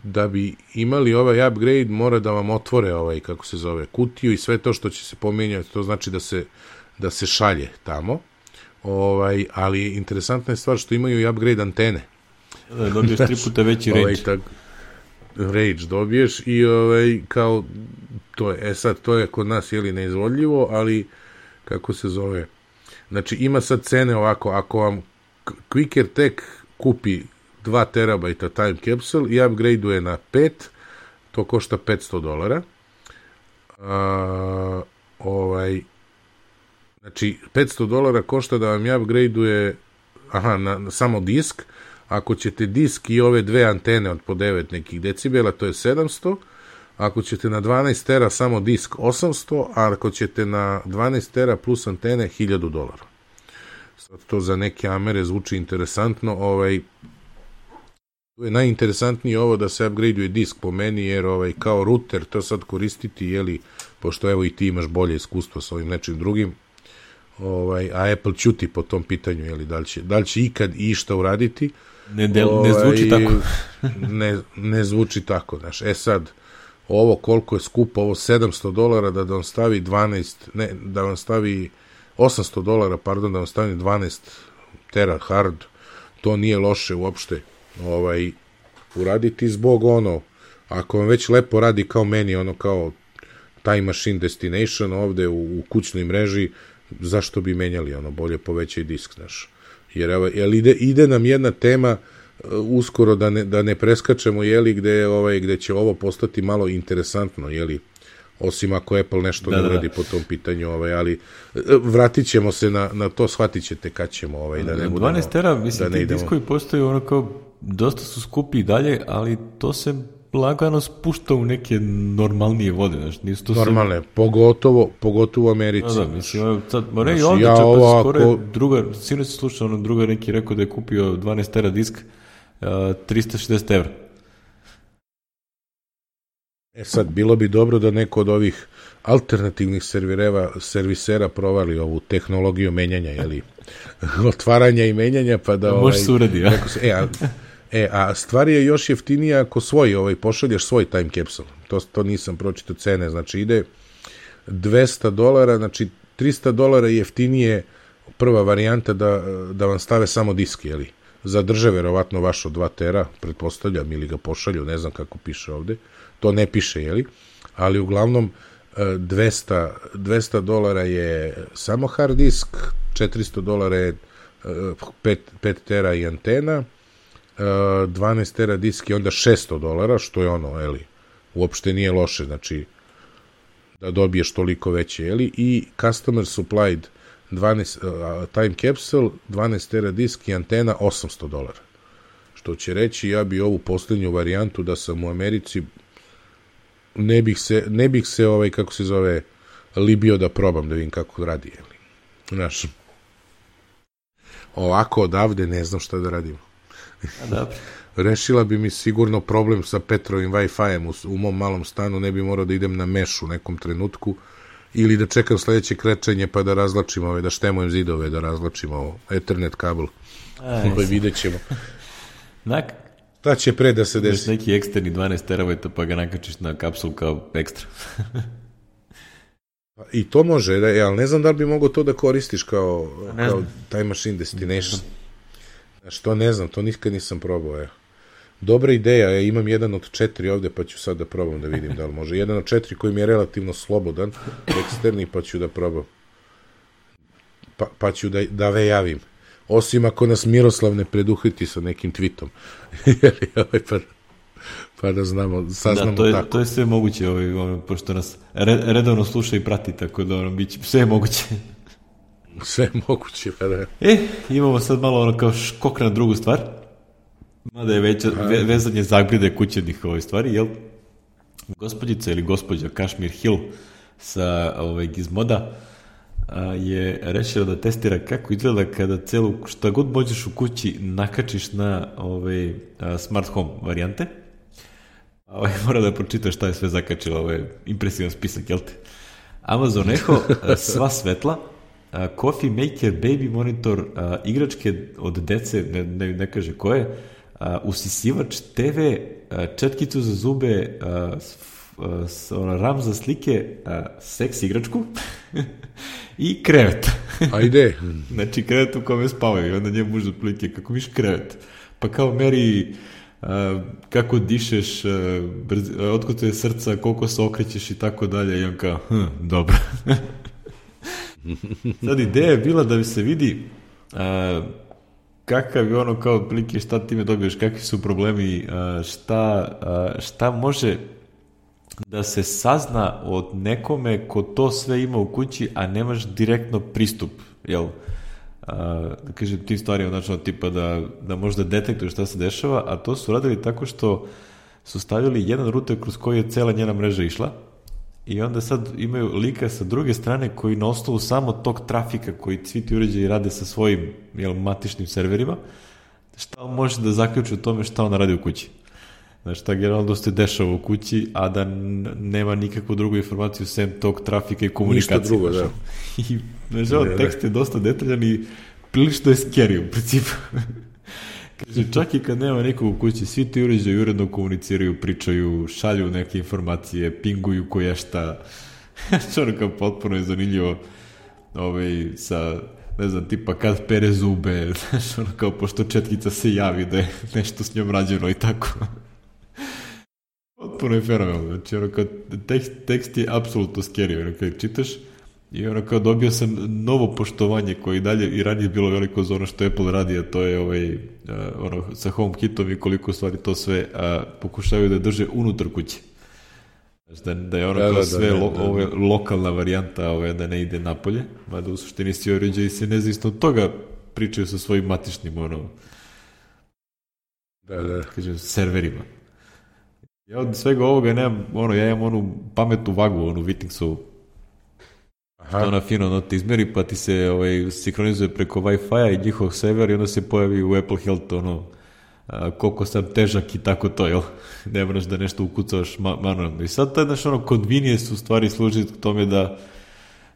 da bi imali ovaj upgrade mora da vam otvore ovaj, kako se zove, kutiju i sve to što će se pomenjati, to znači da se, da se šalje tamo, ovaj, ali interesantna je stvar što imaju i upgrade antene. Da, dobiješ tri puta veći range. Ovaj, tako, range dobiješ i ovaj, kao to je, e sad to je kod nas jeli neizvodljivo, ali kako se zove, znači ima sad cene ovako, ako vam Quicker Tech kupi dva terabajta time capsule i upgradeuje na pet, to košta petsto dolara. Uh, A, ovaj, znači, petsto dolara košta da vam ja upgradeuje, aha, na, na, samo disk. Ako ćete disk i ove dve antene od po devet nekih decibela, to je sedamsto. Ako ćete na dvanaest tera samo disk osamsto, a ako ćete na dvanaest tera plus antene hiljadu dolara. Sad to za neke Amere zvuči interesantno. Ovaj, tu je najinteresantnije ovo da se upgradeuje disk po meni, jer ovaj, kao router to sad koristiti, jeli, pošto evo i ti imaš bolje iskustvo sa ovim nečim drugim, ovaj, a Apple ćuti po tom pitanju, jeli, da li će, da li će ikad išta uraditi. Ne, ne, ne zvuči tako. ne, ne zvuči tako, znaš. E sad, ovo koliko je skupo, ovo sedamsto dolara da, da vam stavi dvanaest, ne, da vam stavi osamsto dolara, pardon, da vam stavi dvanaest tera hard, to nije loše uopšte ovaj, uraditi zbog ono, ako vam već lepo radi kao meni, ono kao Time Machine Destination ovde u, u kućnoj mreži, zašto bi menjali, ono, bolje povećaj disk, znaš. Jer, evo, jel ide, ide nam jedna tema uh, uskoro da ne, da ne preskačemo, jeli, gde, ovaj, gde će ovo postati malo interesantno, jeli, osim ako Apple nešto da, ne uradi da. Po tom pitanju, ovaj, ali vratit ćemo se na, na to, shvatit ćete kad ćemo, ovaj, da ne budemo... dvanaest tera, mislim, da ti diskovi postoju, ono kao, dosta su skupi i dalje, ali to se lagano spušta u neke normalnije vode, znaš, nisu to normalne, se... pogotovo, pogotovo u Americi. Da, da, mislim, sad, ma ne, i ovdje ja čak skoro ako... druga, sino se slušao, ono, druga neki rekao da je kupio dvanaest tera disk, uh, trista šezdeset evra. E sad, bilo bi dobro da neko od ovih alternativnih servireva, servisera provali ovu tehnologiju menjanja, jeli, otvaranja i menjanja, pa da... da ovaj, može se uradi, ja. Se, e, a, e, a stvar je još jeftinija ako svoj, ovaj, pošalješ svoj time capsule. To, to nisam pročitao cene, znači ide dvesta dolara, znači trista dolara jeftinije prva varijanta da, da vam stave samo disk, jeli. Zadrže verovatno vaš od dva tera, pretpostavljam, ili ga pošalju, ne znam kako piše ovde. To ne piše, jeli? Ali uglavnom dvesta, dvesta dolara je samo hard disk, četiristo dolara je pet tera i antena, dvanaest tera disk je onda šesto dolara, što je ono, jeli, uopšte nije loše, znači da dobiješ toliko veće, jeli, i customer supplied dvanaest, uh, time capsule, dvanaest tera disk i antena osamsto dolara. Što će reći, ja bi ovu posljednju varijantu da sam u Americi ne bih se, ne bih se ovaj, kako se zove, libio da probam, da vidim kako radi, jeli. Znaš, ovako odavde ne znam šta da radim. A dobro. Rešila bi mi sigurno problem sa Petrovim Wi-Fi-em u, u mom malom stanu, ne bi morao da idem na mešu u nekom trenutku, ili da čekam sledeće krečenje pa da razlačim ove, da štemujem zidove, da razlačim ovo Ethernet kabel. Pa vidjet ćemo. Nak... Ta će pre da se desi. Neki eksterni dvanaest teravajta pa ga nakačiš na kapsul kao ekstra. I to može, da, ali ne znam da li bi mogao to da koristiš kao, kao Time Machine Destination. Znaš, to ne znam, to nikad nisam probao. Ja. Dobra ideja, ja imam jedan od četiri ovde, pa ću sad da probam da vidim da li može. Jedan od četiri koji mi je relativno slobodan, eksterni, pa ću da probam. Pa, pa ću da, da ve javim. Osim ako nas Miroslav ne preduhiti sa nekim tweetom. pa, pa da znamo, saznamo da, to je, tako. To je sve moguće, ovaj, ovaj, pošto nas re, redovno sluša i prati, tako da ono, biće, sve je moguće. Sve je moguće, pa da. E, imamo sad malo ono kao škok na drugu stvar. Mada je veća, ve, vezanje zagrade kućenih ovoj stvari, jel? Gospođica ili gospođa Kashmir Hill sa ovaj, Gizmoda a, je rešila da testira kako izgleda kada celu, šta god možeš u kući nakačiš na ovaj, a, smart home varijante. Ovaj, mora da pročitaš šta je sve zakačila, ovaj impresivan spisak, jel te? Amazon Echo, sva svetla, a, coffee maker, baby monitor, a, igračke od dece, ne, ne, ne kaže koje, a, usisivač, te ve, a, četkicu za zube, a, a, s, ona, ram za slike, a, seks igračku i krevet. Ajde. Znači krevet u kome spavaju, onda njemu muž otprilike kako miš krevet. Pa kao meri a, kako dišeš, a, brz, a, otkud te je srca, koliko se okrećeš i tako dalje. I on kao, hm, dobro. Sad ideja je bila da bi se vidi a, kakav je ono kao otprilike šta ti me dobiješ, kakvi su problemi, a, šta, a, šta može da se sazna od nekome ko to sve ima u kući, a nemaš direktno pristup, jel? A, da kažem, tim stvarima, znači, tipa da, da možda detektuješ šta se dešava, a to su radili tako što su stavili jedan ruter kroz koji je cela njena mreža išla i onda sad imaju lika sa druge strane koji na osnovu samo tog trafika koji svi ti uređaji rade sa svojim, jel, matičnim serverima, šta on može da zaključi o tome šta ona radi u kući. Znači, šta generalno se dešava u kući, a da nema nikakvu drugu informaciju sem tog trafika i komunikacije. Ništa drugo, da. I, znači, ovo tekst je dosta detaljan i prilično je scary u principu. Kaže, čak i kad nema nekog u kući, svi ti uređaji uredno komuniciraju, pričaju, šalju neke informacije, pinguju koje šta. Znači, ono kao potpuno je zanimljivo ovaj, sa, ne znam, tipa kad pere zube, znači, ono kao pošto četkica se javi da je nešto s njom rađeno i tako. Potpuno je fenomenalno, znači ono kao tekst, tekst je apsolutno scary, ono kao čitaš i ono kao dobio sam novo poštovanje koje i dalje i ranije bilo veliko za ono što Apple radi, a to je ovaj, uh, ono, sa HomeKitom i koliko stvari to sve uh, pokušavaju da drže unutar kuće. Znači da, da je ono da, kao da, sve da, lo, da, ove, lokalna varijanta ove, da ne ide napolje, mada u suštini svi uređaji se nezavisno od toga pričaju sa svojim matičnim ono, da, da. kažem, serverima. Ja od svega ovoga nemam, ono, ja imam onu pametnu vagu, onu Wittingsovu, što ona fino ono, te izmeri, pa ti se ovaj, sinkronizuje preko Wi-Fi-a i njihov server i onda se pojavi u Apple Health, ono, a, koliko sam težak i tako to, jel? Ne moraš da nešto ukucavaš ma- manualno. I sad taj, znaš, ono, convenience u stvari služi tome da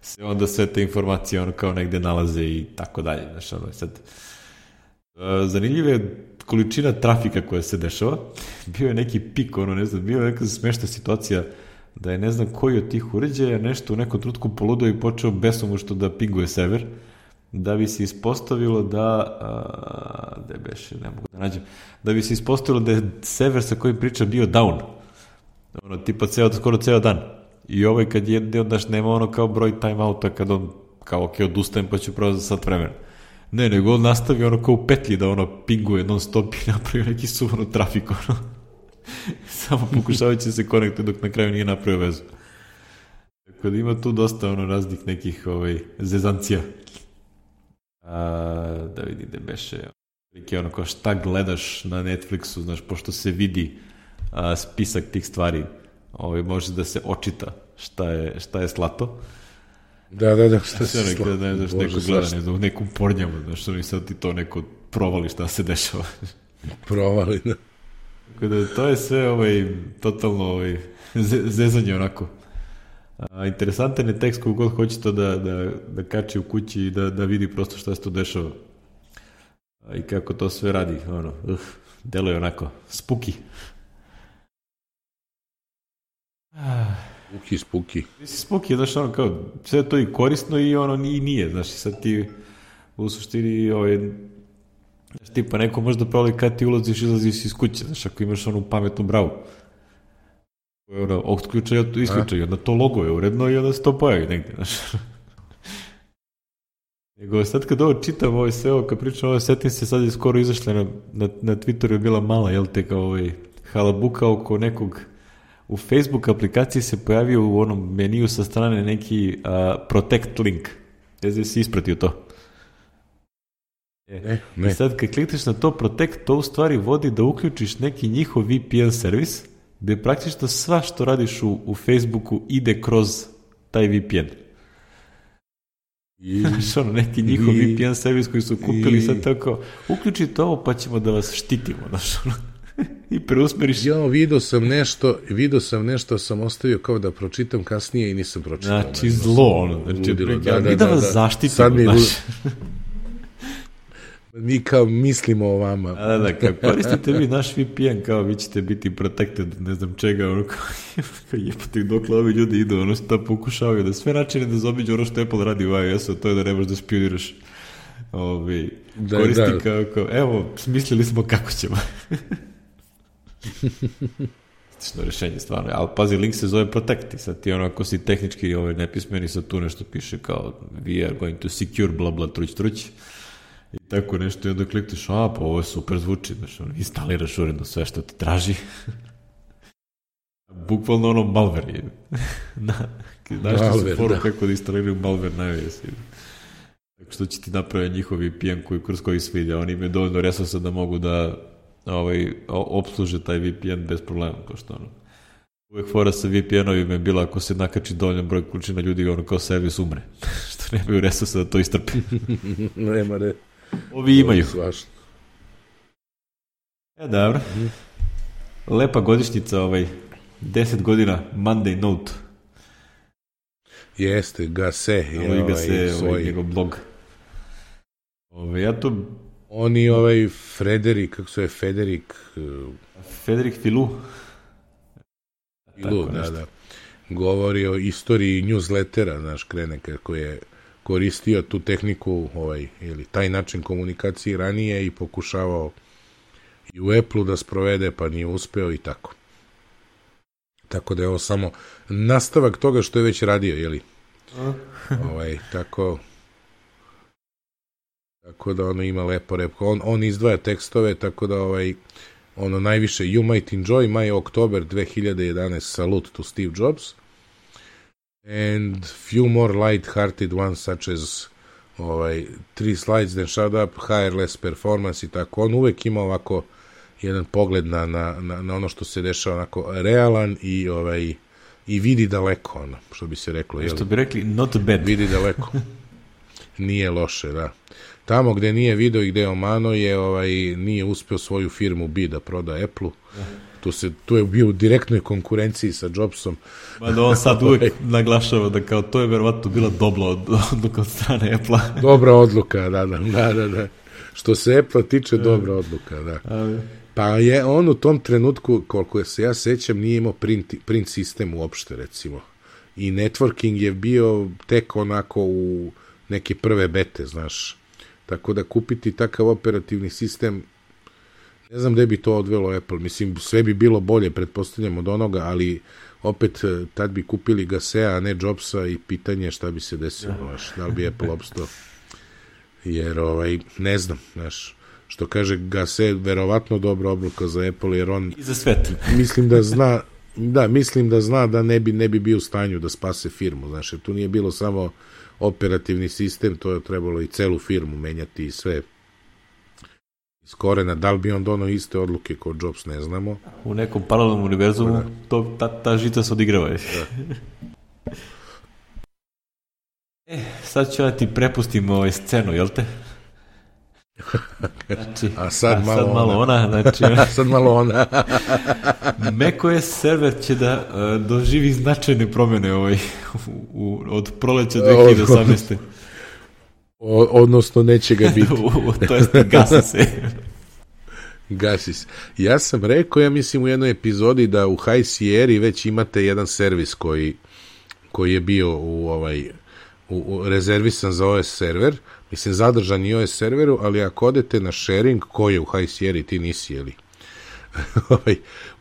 se onda sve te informacije, ono, kao negde nalaze i tako dalje, znaš, ono, sad. A, zanimljivo je količina trafika koja se dešava. Bio je neki pik, ono, ne znam, bio je neka smešna situacija da je ne znam koji od tih uređaja nešto u nekom trenutku poludao i počeo besomučno da pinguje server, da bi se ispostavilo da a, da beše, ne mogu da nađem, da bi se ispostavilo da je server sa kojim priča bio down. Ono, tipa ceo, skoro ceo dan. I ovaj kad je, daš, nema ono kao broj timeouta kad on kao ok, odustajem pa ću pravo za sat vremena. Ne, nego on nastavi ono kao u petlji da ono pinguje non stop i napravi neki suvrno trafik, ono. Samo pokušavajući se konektu dok na kraju nije napravio vezu. Tako da ima tu dosta ono raznih nekih ovaj, zezancija. A, da vidi gde beše. Ono kao šta gledaš na Netflixu, znaš, pošto se vidi a, spisak tih stvari, ovaj, može da se očita šta je, šta je slato. Da, da, da, šta se slato. Ne znaš, neko gleda, ne znam, neku pornjavu, znaš, i sad ti to neko provali šta se dešava. Provali, da. Tako da to je sve ovaj, totalno ovaj, zezanje onako. A, interesantan je tekst koji god hoće to da, da, da kači u kući i da, da vidi prosto šta se to dešava. A, i kako to sve radi. Ono, uh, delo je onako spuki. Spuki, spuki. Mislim, spuki je, znaš, ono kao, sve to i korisno i ono i nije. Znaš, sad ti u suštini ovaj, znaš, tipa neko možda provali kad ti ulaziš i izlaziš iz kuće, znaš, ako imaš onu pametnu bravu. Ono, otključaj, isključaj, onda to logo je uredno i onda se to pojavi negdje, znaš. Nego sad kad ovo čitam, ovo sve ovo, kad pričam ovo, setim se, sad je skoro izašla na, na, na Twitteru je bila mala, jel te, kao ovaj halabuka oko nekog, u Facebook aplikaciji se pojavio u onom meniju sa strane neki uh, protect link. Ne znam, si ispratio to. Ne, ne. I sad kad klikneš na to protect, to u stvari vodi da uključiš neki njihov V P N servis, gde praktično sva što radiš u, u Facebooku ide kroz taj V P N. I, znaš, ono, neki njihov i, V P N servis koji su kupili i, sad tako, uključite ovo pa ćemo da vas štitimo, znaš, ono. I preusmeriš. Ja vidio sam nešto, vidio sam nešto, sam ostavio kao da pročitam kasnije i nisam pročitao. Znači zlo, ono. Znači, ludilo, da, da, da, da, da vas da. zaštitimo, sad mi znaš. Mi kao mislimo o vama. Da, da, da, kao koristite vi naš V P N, kao vi ćete biti protected, ne znam čega, ono kao, kao jebate, dokle ovi ljudi idu, ono što pokušavaju, da sve načine da zaobiđu ono što Apple radi u iOS-u, to je da ne možeš da špioniraš. Ovi, da, koristi da. Kao, kao, evo, smislili smo kako ćemo. Stično rešenje, stvarno. Ali pazi, link se zove Protect. I sad ti ono, ako si tehnički ovaj, nepismeni, sad tu nešto piše kao we are going to secure bla bla truć truć. I tako nešto i onda klikneš, a pa ovo je super zvuči, znaš, ono, instaliraš uredno sve što ti traži. Bukvalno ono malware je. Znaš ti su foru kako da instaliraju malware na iOS. Tako što će ti napraviti njihov V P N koji, kroz koji se vidi. Oni imaju dovoljno resursa da mogu da ovaj, obsluže taj V P N bez problema. Pošto ono. Uvijek fora sa V P N-ovima je bila ako se nakači dovoljan broj količina ljudi, ono kao servis umre. Što nemaju resursa da to istrpi. Nema re. Ovi imaju. E, dobro. Mm. Lepa godišnjica, ovaj, deset godina Monday Note. Jeste, Gase. Ovo i Gase, ovaj njegov blog. Ove, ja to... On i ovaj Frederik, kako se je Federik... Federik Filou. Filou, da, da. Govori o istoriji newslettera, znaš, krene kako je koristio tu tehniku, ovaj, ili taj način komunikacije ranije i pokušavao i u Apple-u da sprovede, pa nije uspeo i tako. Tako da je ovo samo nastavak toga što je već radio, jeli? ovaj, tako... Tako da ono ima lepo repko. On, on izdvaja tekstove, tako da ovaj, ono najviše You might enjoy my October twenty eleven salute to Steve Jobs and few more light-hearted ones such as ovaj, three slides then shut up, higher less performance i tako. On uvek ima ovako jedan pogled na, na, na, na ono što se dešava onako realan i ovaj i vidi daleko, ono, što bi se reklo. Jel? Što bi rekli, not bad. Vidi daleko. Nije loše, da. Tamo gde nije video i gde je omano je, ovaj, nije uspeo svoju firmu B da proda Apple-u. Ja. Tu, se, tu je bio u direktnoj konkurenciji sa Jobsom. Mada on sad uvek naglašava da kao to je verovatno bila dobra odluka od strane Apple-a. Dobra odluka, da, da, da, da, da. Što se Apple-a tiče, dobra odluka, da. Pa je on u tom trenutku, koliko se ja sećam, nije imao print, print sistem uopšte, recimo. I networking je bio tek onako u neke prve bete, znaš. Tako da kupiti takav operativni sistem, ne znam gde bi to odvelo Apple. Mislim, sve bi bilo bolje, pretpostavljam, od onoga, ali opet tad bi kupili Gasea, a ne Jobsa i pitanje šta bi se desilo, znaš, da li bi Apple opstao. Jer, ovaj, ne znam, znaš, što kaže Gase, verovatno dobra odluka za Apple, jer on... I za svet. Mislim da zna, da, mislim da zna da ne bi, ne bi bio u stanju da spase firmu, znaš, jer tu nije bilo samo operativni sistem, to je trebalo i celu firmu menjati i sve iz korena. Da li bi on donao iste odluke kao Jobs, ne znamo. U nekom paralelnom univerzumu to, ta, ta žica se odigrava. Da. E, sad ću ja ti prepustim ovaj scenu, jel te? Znači, a sad, a malo, sad malo ona, ona znači, sad malo ona macOS server će da uh, doživi značajne promjene ovaj, u, u, od proleća dve hiljade osamnaeste. O, odnosno neće ga biti. To jest gasi se. Gasi se. Ja sam rekao, ja mislim u jednoj epizodi da u High Sierra već imate jedan servis koji, koji je bio u ovaj u, u rezervisan za O S server. Mislim, zadržan i O S serveru, ali ako odete na sharing, ko je u High Sierra, ti nisi, jeli?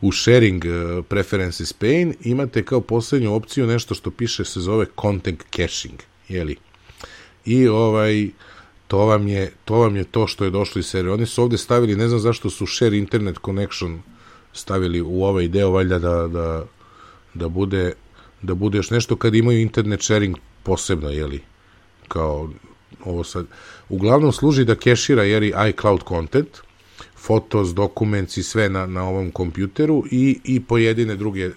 U sharing uh, preferences pane imate kao poslednju opciju nešto što piše, se zove content caching, jeli? I ovaj, to vam je to, vam je to što je došlo iz servera. Oni su ovde stavili, ne znam zašto su share internet connection stavili u ovaj deo, valjda da, da, da, bude, da bude još nešto kad imaju internet sharing posebno, jeli? Kao ovo sad, uglavnom služi da kešira jeri iCloud content, fotos, documents i sve na, na ovom kompjuteru i, i pojedine druge,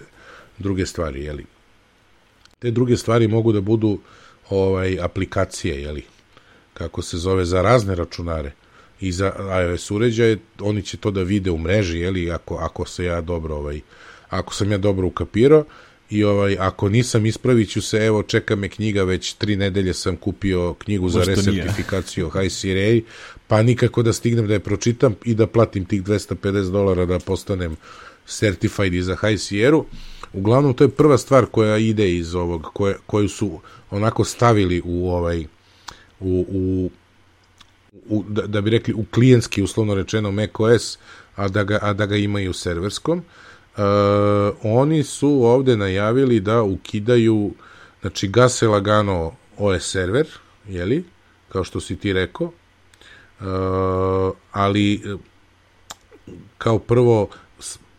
druge stvari, jeli. Te druge stvari mogu da budu ovaj, aplikacije, jeli, kako se zove, za razne računare i za iOS uređaje, oni će to da vide u mreži, jeli, ako, ako se ja dobro, ovaj, ako sam ja dobro ukapirao. I ovaj, ako nisam, ispravit ću se, evo, čeka me knjiga, već tri nedelje sam kupio knjigu za resertifikaciju High Sierra, pa nikako da stignem da je pročitam i da platim tih dvesta pedeset dolara da postanem certified i za High Sierra. Uglavnom, to je prva stvar koja ide iz ovog, koje, koju su onako stavili u ovaj, u, u, u da, da bi rekli, u klijentski, uslovno rečeno, macOS, a da ga, a da ga imaju serverskom. Uh, oni su ovde najavili da ukidaju, znači gase lagano O S server, jeli, kao što si ti rekao, uh, ali kao prvo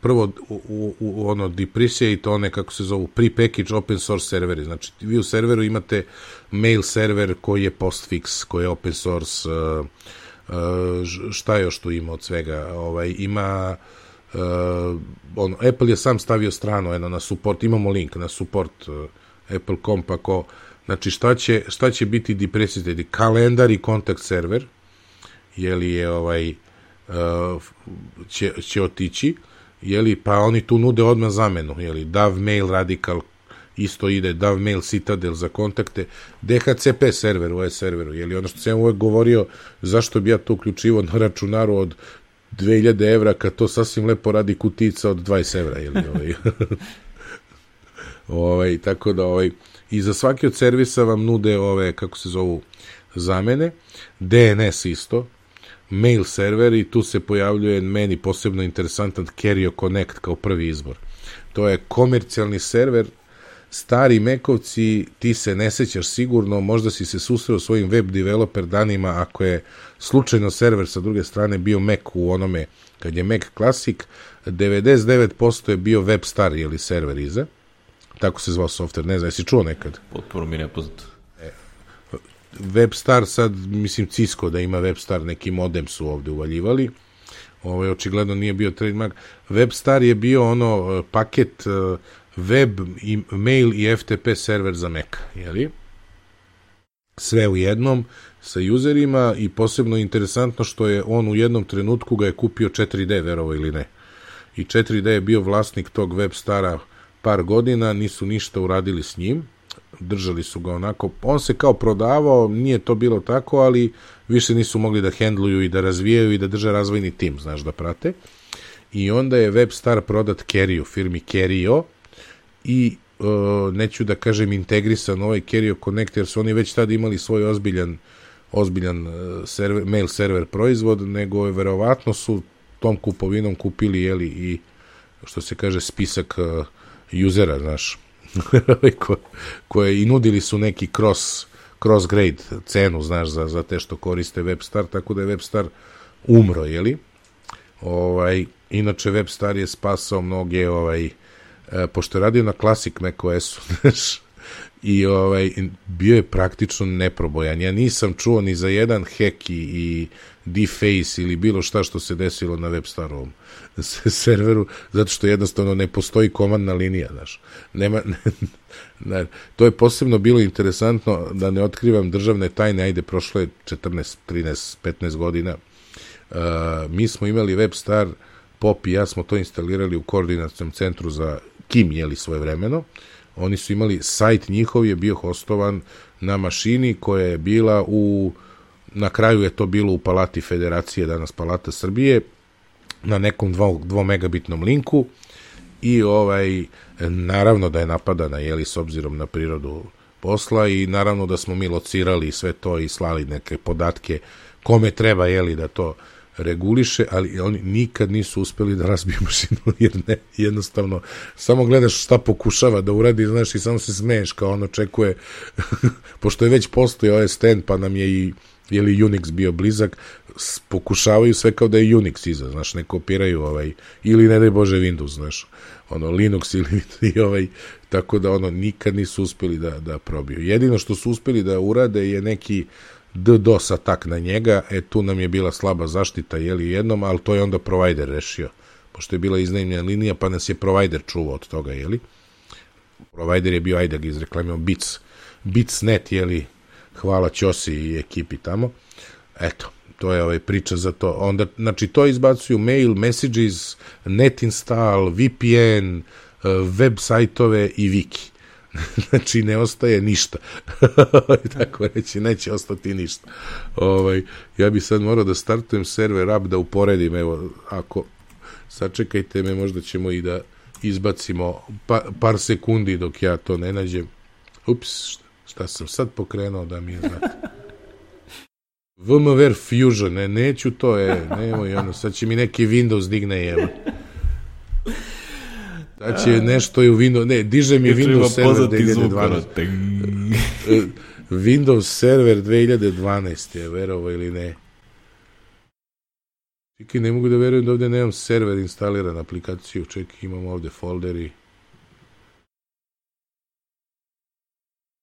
prvo u, u, u ono depreciate one, kako se zovu, prepackage open source serveri. Znači, vi u serveru imate mail server koji je postfix, koji je open source, uh, uh, šta još tu ima od svega? Ovaj, ima, uh, ono, Apple je sam stavio stranu, eno, na support, imamo link na support uh, apple dot com, pa ko, znači, šta će, šta će biti depreciated? Kalendar i kontakt server, jeli je ovaj, uh, će, će otići, jeli, pa oni tu nude odmah zamenu, jeli, Dove Mail Radical isto ide, Dove Mail Citadel za kontakte, D H C P server u e-serveru, jeli, ono što sam uvek govorio, zašto bi ja to uključivo na računaru od dve hiljade evra, kad to sasvim lepo radi kutica od dvadeset evra, jeli, ovaj, ovaj, tako da, ovaj, i za svaki od servisa vam nude ove, kako se zovu, zamene, D N S isto, mail server, i tu se pojavljuje meni posebno interesantan Kerio Connect kao prvi izbor. To je komercijalni server, stari Mac-ovci, ti se ne sećaš sigurno, možda si se susreo svojim web developer danima ako je slučajno server sa druge strane bio Mac u onome, kad je Mac Classic, devedeset devet posto je bio WebStar ili server iza, tako se zvao software, ne znam, jesi čuo nekad? Potpuno mi ne poznato. WebStar sad, mislim, Cisco da ima WebStar, neki modem su ovde uvaljivali, ovo je očigledno nije bio trademark. WebStar je bio ono paket web, i mail i F T P server za Mac, jeli? Sve u jednom, sa userima, i posebno interesantno što je on u jednom trenutku ga je kupio četiri D, verovo ili ne. I četiri D je bio vlasnik tog WebStara par godina, nisu ništa uradili s njim, držali su ga onako, on se kao prodavao, nije to bilo tako, ali više nisu mogli da hendluju i da razvijaju i da drže razvojni tim, znaš, da prate. I onda je WebStar prodat Kerio, firmi Kerio, i uh, neću da kažem integrisan ovaj Kerio Connect, jer su oni već tada imali svoj ozbiljan, ozbiljan uh, server, mail server proizvod, nego je verovatno su tom kupovinom kupili, jeli, i što se kaže spisak uh, usera, znaš, Ko, koje i nudili su neki cross, cross grade cenu, znaš, za, za te što koriste WebStar, tako da je WebStar umro, jeli? Ovaj, inače WebStar je spasao mnoge, ovaj, e, pošto je radio na Classic macOS-u, znaš, i ovaj, bio je praktično neprobojan. Ja nisam čuo ni za jedan hack i, i deface ili bilo šta što se desilo na WebStarovom serveru, zato što jednostavno ne postoji komandna linija, znaš. Nema, ne, ne, to je posebno bilo interesantno, da ne otkrivam državne tajne, ajde, prošlo je četrnaest, trinaest, petnaest godina. Uh, mi smo imali WebStar, Pop i ja smo to instalirali u koordinacijom centru za Kim, jeli, svoje vremeno. Oni su imali, sajt njihov je bio hostovan na mašini koja je bila u, na kraju je to bilo u Palati Federacije, danas Palata Srbije, na nekom dvo, dvomegabitnom linku, i ovaj, naravno da je napadana, jeli, s obzirom na prirodu posla, i naravno da smo mi locirali sve to i slali neke podatke kome treba, jeli, da to reguliše, ali oni nikad nisu uspeli da razbiju mašinu, jer ne, jednostavno, samo gledaš šta pokušava da uradi, znaš, i samo se smeješ, kao on očekuje, pošto je već postojao O S X, pa nam je i, jeli, Unix bio blizak, pokušavaju sve kao da je Unix iza, znaš, ne kopiraju, ovaj, ili ne daj Bože Windows, znaš, ono, Linux ili i ovaj, tako da, ono, nikad nisu uspeli da, da probiju. Jedino što su uspeli da urade je neki DDoS atak na njega, e, tu nam je bila slaba zaštita, jeli, jednom, ali to je onda provider rešio, pošto je bila iznajmljena linija, pa nas je provider čuvao od toga, jeli. Provider je bio, ajde ga izreklamio, Bits, Bitsnet, jeli, hvala Ćosi i ekipi tamo. Eto, to je ovaj priča za to. Onda, znači, to izbacuju mail, messages, net install, V P N, web sajtove i wiki. Znači, ne ostaje ništa. Tako reći, neće ostati ništa. Ovaj, ja bi sad morao da startujem server up, da uporedim, evo, ako sačekajte me, možda ćemo i da izbacimo pa, par sekundi dok ja to ne nađem. Ups, šta, šta sam sad pokrenuo da mi je znate. VMware Fusion, ne, neću to, e, nemoj, ono, sad će mi neki Windows digne, evo. Znači, nešto je u Windows, ne, diže mi Windows Server dve hiljade dvanaeste. Windows Server dve hiljade dvanaeste, je, verovo ili ne. Čekaj, ne mogu da verujem da ovde nemam server instaliran aplikaciju. Čekaj, imam ovde folderi.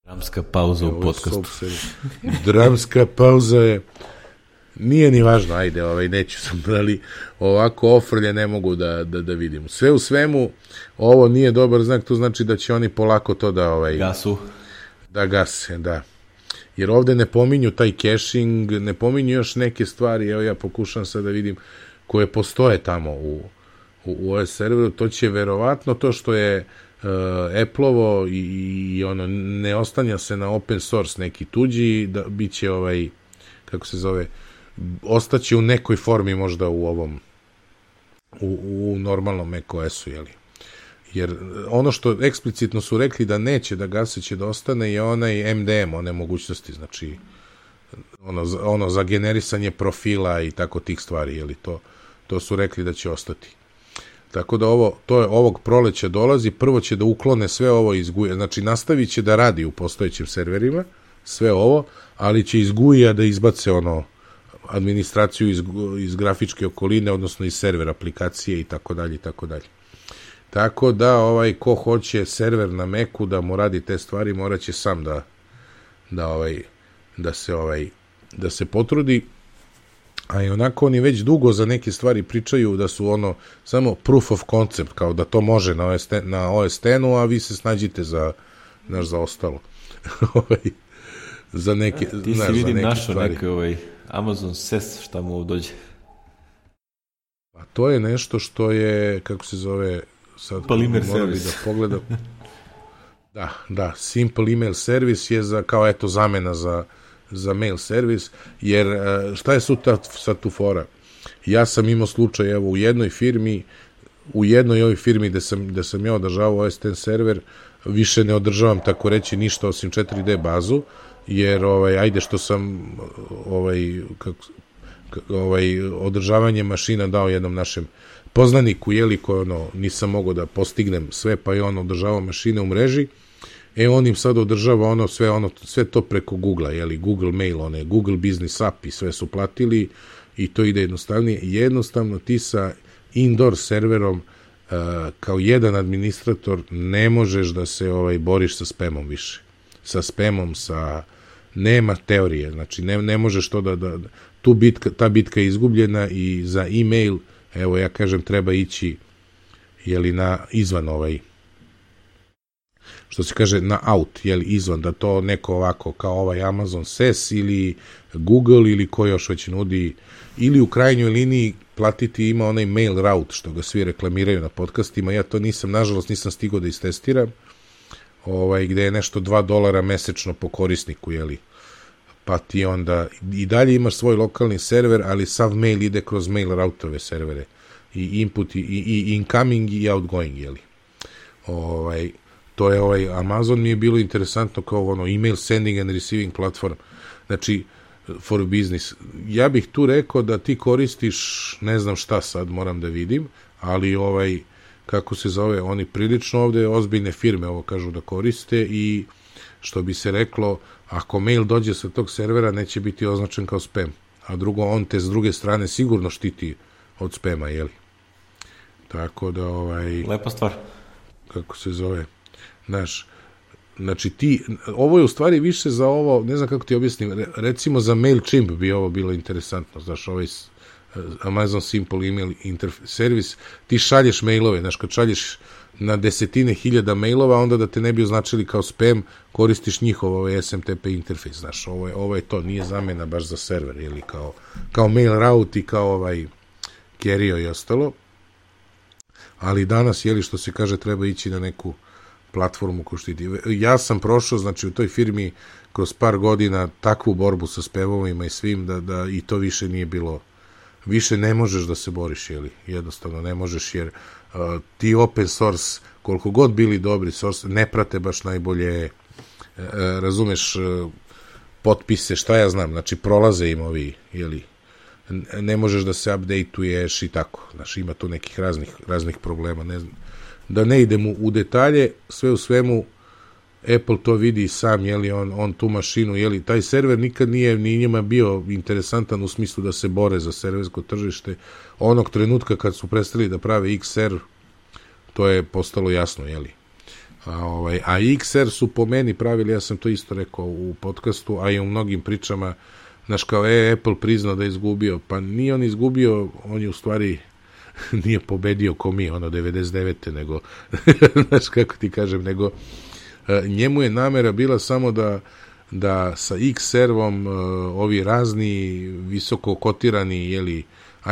Dramska pauza u podcastu. Dramska pauza je... Nije ni važno, ajde, ovaj, neću sam, ali ovako ofrlje ne mogu da, da, da vidim. Sve u svemu, ovo nije dobar znak, to znači da će oni polako to da... Ovaj, gasu. Da gase, da. Jer ovde ne pominju taj caching, ne pominju još neke stvari, evo ja pokušam sad da vidim, koje postoje tamo u, u, u O S serveru, to će verovatno to što je uh, Apple-ovo i, i ono, ne ostanja se na open source neki tuđi, da bit će ovaj, kako se zove, ostaće u nekoj formi možda u ovom, u, u normalnom macOS-u, jeli? Jer ono što eksplicitno su rekli da neće da gase će da ostane je onaj M D M, one mogućnosti, znači ono, ono za generisanje profila i tako tih stvari, jeli, to, to su rekli da će ostati. Tako da ovo, to je ovog proleća dolazi, prvo će da uklone sve ovo iz G U I, znači nastavit će da radi u postojećim serverima, sve ovo, ali će iz G U I-a da izbace ono administraciju iz, iz grafičke okoline, odnosno iz server aplikacije i tako dalje i tako dalje. Tako da ovaj ko hoće server na Macu da mu radi te stvari, moraće sam da da ovaj da se ovaj da se potrudi. A i onako oni već dugo za neke stvari pričaju da su ono samo proof of concept, kao da to može na O S, na O S X-u, a vi se snađite za naš za ostalo. za neke a, ti naš, si vidim neke našo stvari. neki ovaj Amazon S E S šta mu dođe. A to je nešto što je, kako se zove, sad Simple moram bi da pogledam. Da, da, Simple Email Service je za, kao eto, zamena za, za mail servis, jer šta je sad tu fora? Ja sam imao slučaj, evo, u jednoj firmi, u jednoj ovoj firmi gde sam, gde sam ja održavao O S X server, više ne održavam, tako reći, ništa osim četiri D bazu, jer, ovaj, ajde što sam, ovaj, kako, ovaj, održavanje mašina dao jednom našem poznaniku, jeli, koji ono, nisam mogao da postignem sve, pa je on održavao mašine u mreži, e on im sad održava ono sve, ono, sve to preko Google-a, jeli, Google Mail, one, Google Business App i sve su platili i to ide jednostavnije. Jednostavno ti sa indoor serverom uh, kao jedan administrator ne možeš da se ovaj boriš sa spamom više. Sa spamom, sa... Nema teorije, znači ne, ne možeš to da... da tu bitka, ta bitka je izgubljena i za e-mail, evo ja kažem, treba ići jeli, na izvan ovaj, što se kaže na out, jeli, izvan, da to neko ovako kao ovaj Amazon S E S ili Google ili ko još već nudi, ili u krajnjoj liniji platiti, ima onaj mail route što ga svi reklamiraju na podcastima, ja to nisam, nažalost nisam stigao da istestiram, ovaj, gde je nešto dva dolara mesečno po korisniku, jeli, pa ti onda i dalje imaš svoj lokalni server, ali sav mail ide kroz mail routove servere, i input, i, i incoming i outgoing, jeli. Ovaj, to je ovaj, Amazon mi je bilo interesantno kao ono email sending and receiving platform, znači for business. Ja bih tu rekao da ti koristiš, ne znam šta sad, moram da vidim, ali ovaj, kako se zove, oni prilično ovde ozbiljne firme ovo kažu da koriste i što bi se reklo, ako mail dođe sa tog servera neće biti označen kao spam, a drugo, on te s druge strane sigurno štiti od spama, jeli? Tako da, ovaj... Lepa stvar. Kako se zove, znaš, znači ti, ovo je u stvari više za ovo, ne znam kako ti objasnim, recimo za MailChimp bi ovo bilo interesantno, znaš, ovaj Amazon Simple Email Service, ti šalješ mailove, znaš, kad šalješ na desetine hiljada mailova, onda da te ne bi označili kao spam, koristiš njihov ovaj S M T P interfejs, znaš, ovo je, ovo je to, nije zamena baš za server, ili kao, kao mail route i kao ovaj Kerio i ostalo, ali danas, jeli, što se kaže, treba ići na neku platformu ko štiti. Ja sam prošao, znači, u toj firmi kroz par godina takvu borbu sa spevovima i svim, da, da i to više nije bilo, više ne možeš da se boriš, jeli, jednostavno ne možeš, jer uh, ti open source, koliko god bili dobri source, ne prate baš najbolje, uh, razumeš, uh, potpise, šta ja znam, znači, prolaze im ovi, jeli, ne možeš da se update-uješ i tako, znači, ima tu nekih raznih, raznih problema, ne znam, da ne idem u, u detalje, sve u svemu, Apple to vidi sam, jeli, on, on tu mašinu, jeli, taj server nikad nije ni njima bio interesantan u smislu da se bore za serversko tržište. Onog trenutka kad su prestali da prave X R, to je postalo jasno, jeli. A, ovaj, a X R su po meni pravili, ja sam to isto rekao u podcastu, a i u mnogim pričama, znaš, kao, e, Apple priznao da je izgubio, pa nije on izgubio, on je u stvari nije pobedio ko mi, ono, devedeset devete nego, znaš, kako ti kažem, nego njemu je namera bila samo da, da sa X R-om uh, ovi razni visoko kotirani, jeli,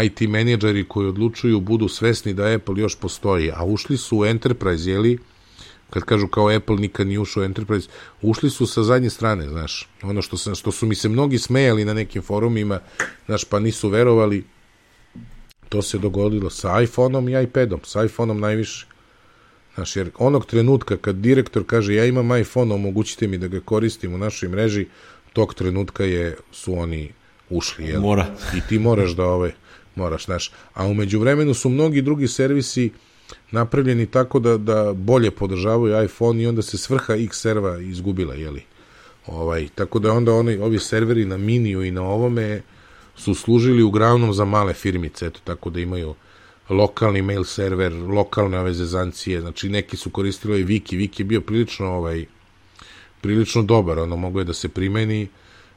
I T menadžeri koji odlučuju budu svesni da Apple još postoji, a ušli su u Enterprise, jeli, kad kažu kao Apple nikad nije ušao u Enterprise, ušli su sa zadnje strane, znaš, ono što, sam, što su mi se mnogi smejali na nekim forumima, znaš, pa nisu verovali, to se dogodilo sa iPhone-om i iPad-om, sa iPhone-om najviše. Znaš, jer onog trenutka kad direktor kaže ja imam iPhone, omogućite mi da ga koristim u našoj mreži, tog trenutka je, su oni ušli, jel? Mora. I ti moraš da ove, moraš, znaš. A umeđu vremenu su mnogi drugi servisi napravljeni tako da, da bolje podržavaju iPhone i onda se svrha X R-a izgubila, jeli? Ovaj, tako da onda oni, ovi serveri na Miniju i na ovome su služili uglavnom za male firmice, eto, tako da imaju lokalni mail server, lokalne ove zezancije, znači neki su koristili i Wiki, Wiki je bio prilično ovaj, prilično dobar, ono mogo je da se primeni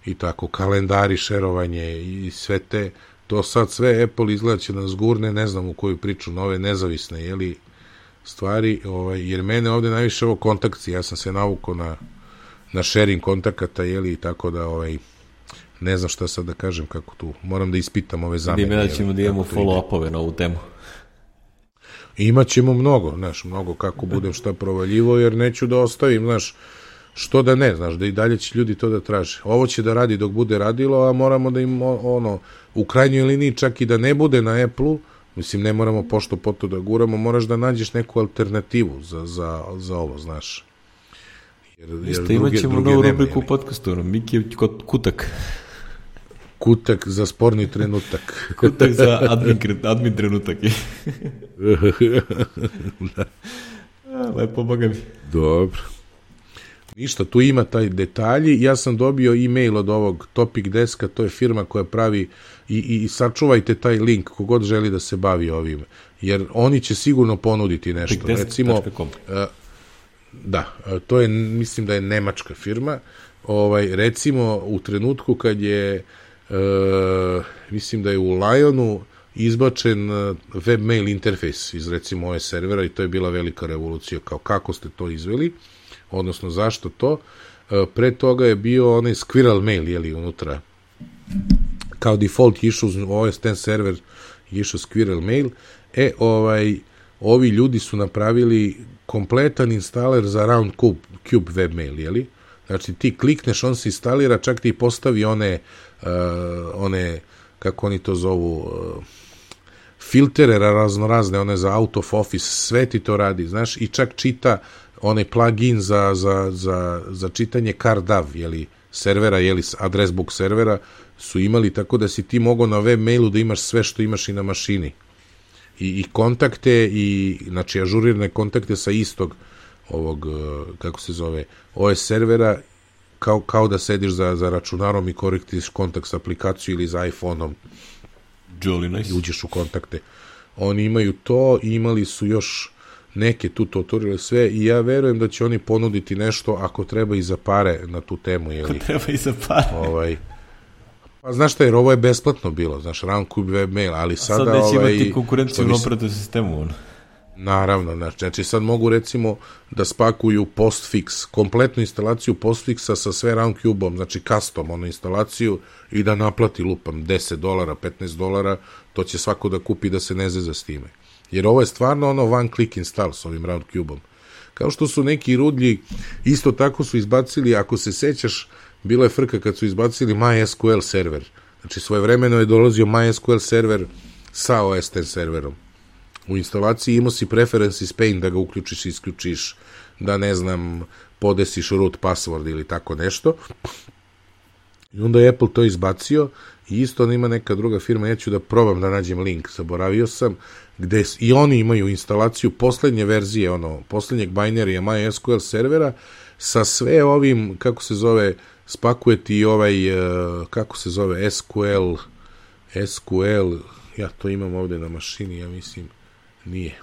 i tako, kalendari, šerovanje i sve te, to sad sve Apple izgleda će da nas gurne, ne znam u koju priču, nove nezavisne, jeli, stvari, ovaj, jer mene ovde najviše ovo kontakcije, ja sam se navukao na, na sharing kontakata, jeli, tako da, ovaj, ne znam šta sad da kažem, kako tu, moram da ispitam ove zamene. Vidimo da ćemo da imamo follow-upove na ovu temu. Imaćemo mnogo, znaš, mnogo kako budem šta provaljivo, jer neću da ostavim, znaš, što da ne, znaš, da i dalje će ljudi to da traže. Ovo će da radi dok bude radilo, a moramo da im, ono, u krajnjoj liniji čak i da ne bude na Apple-u, mislim, ne moramo pošto po to da guramo, moraš da nađeš neku alternativu za, za, za ovo, znaš. Jer, jer Isto druge, imat ćemo novu rubriku u podcastu, Mikijev kutak. Kutak za sporni trenutak. Kutak za admin, admin trenutak. Da. Lepo, boga mi. Dobro. Ništa, tu ima taj detalji. Ja sam dobio e-mail od ovog Topic Deska, to je firma koja pravi i, i, i sačuvajte taj link kogod želi da se bavi ovim. Jer oni će sigurno ponuditi nešto. Recimo, uh, da, to je, mislim da je nemačka firma. Ovaj, recimo, u trenutku kad je Uh, mislim da je u Lionu izbačen uh, webmail interfejs iz recimo ove servera i to je bila velika revolucija, kao kako ste to izveli, odnosno zašto to. Uh, pre toga je bio onaj Squirrel mail, jeli, unutra. Kao default išao u O S X server, išao Squirrel mail. E, ovaj, ovi ljudi su napravili kompletan instaler za Roundcube Cube webmail, jeli? Znači ti klikneš, on se instalira, čak ti postavi one Uh, one, kako oni to zovu, uh, filtere raznorazne, one za out of office, sve ti to radi, znaš, i čak čita onaj plugin za, za, za, za čitanje CarDAV, jeli, servera, jeli, adresbook servera, su imali tako da si ti mogao na web mailu da imaš sve što imaš i na mašini. I, i kontakte, i, znači, ažurirane kontakte sa istog ovog, kako se zove, O S servera, Kao, kao da sediš za, za računarom i koristiš kontakt s aplikaciju ili za iPhone-om. Jolly nice. I uđeš u kontakte. Oni imaju to i imali su još neke tu tutoriale sve i ja verujem da će oni ponuditi nešto ako treba i za pare na tu temu. Jeli? Ako treba i za pare. Ovaj, pa znaš šta, jer ovo je besplatno bilo, znaš, Roundcube webmail, ali sada... A sad neće ovaj, imati konkurenciju na operativnom sistemu, ono. Naravno, znači sad mogu recimo da spakuju Postfix, kompletnu instalaciju Postfixa sa sve Roundcube-om, znači custom onu instalaciju i da naplati lupam deset dolara, petnaest dolara, to će svako da kupi da se ne zeza s time. Jer ovo je stvarno ono one click install s ovim Roundcube-om. Kao što su neki rudlji, isto tako su izbacili, ako se sećaš, bila je frka kad su izbacili MySQL server. Znači svojevremeno je dolazio MySQL server sa O S X serverom. U instalaciji imao si preferences pane da ga uključiš i isključiš, da ne znam, podesiš root password ili tako nešto. I onda je Apple to izbacio i isto on ima neka druga firma, ja ću da probam da nađem link, zaboravio sam, gde i oni imaju instalaciju poslednje verzije, ono, poslednjeg binaryja MySQL servera sa sve ovim, kako se zove, spakuje ti ovaj, kako se zove, es ku el, es ku el, ja to imam ovde na mašini, ja mislim, nije.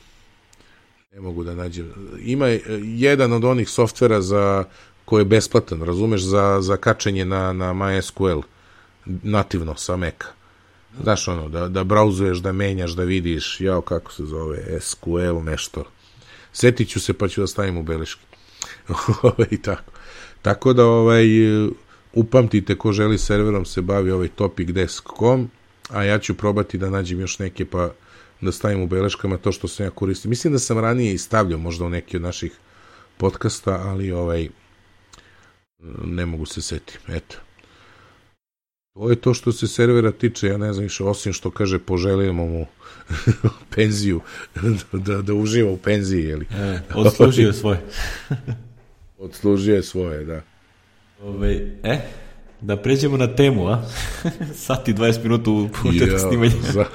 Ne mogu da nađem. Ima jedan od onih softvera za, koji je besplatan, razumeš, za, za kačenje na, na MySQL, nativno, sa Maca. Znaš ono, da, da brauzuješ, da menjaš, da vidiš, jao, kako se zove, es ku el, nešto. Setit ću se pa ću da stavim u beleške. I tako. Tako da, ovaj, upamtite ko želi serverom se bavi ovaj topic desk dot com, a ja ću probati da nađem još neke pa da stavim u beleškama to što sam ja koristio. Mislim da sam ranije i stavljao možda u neki od naših podcasta, ali ovaj ne mogu se setiti. Eto. To je to što se servera tiče, ja ne znam više, osim što kaže poželimo mu penziju, da, da uživa u penziji. Jeli? E, odslužio svoje. Odslužio svoje, da. Ove, e, da pređemo na temu, a? Sat i dvadeset minuta u početku snimanja. Za...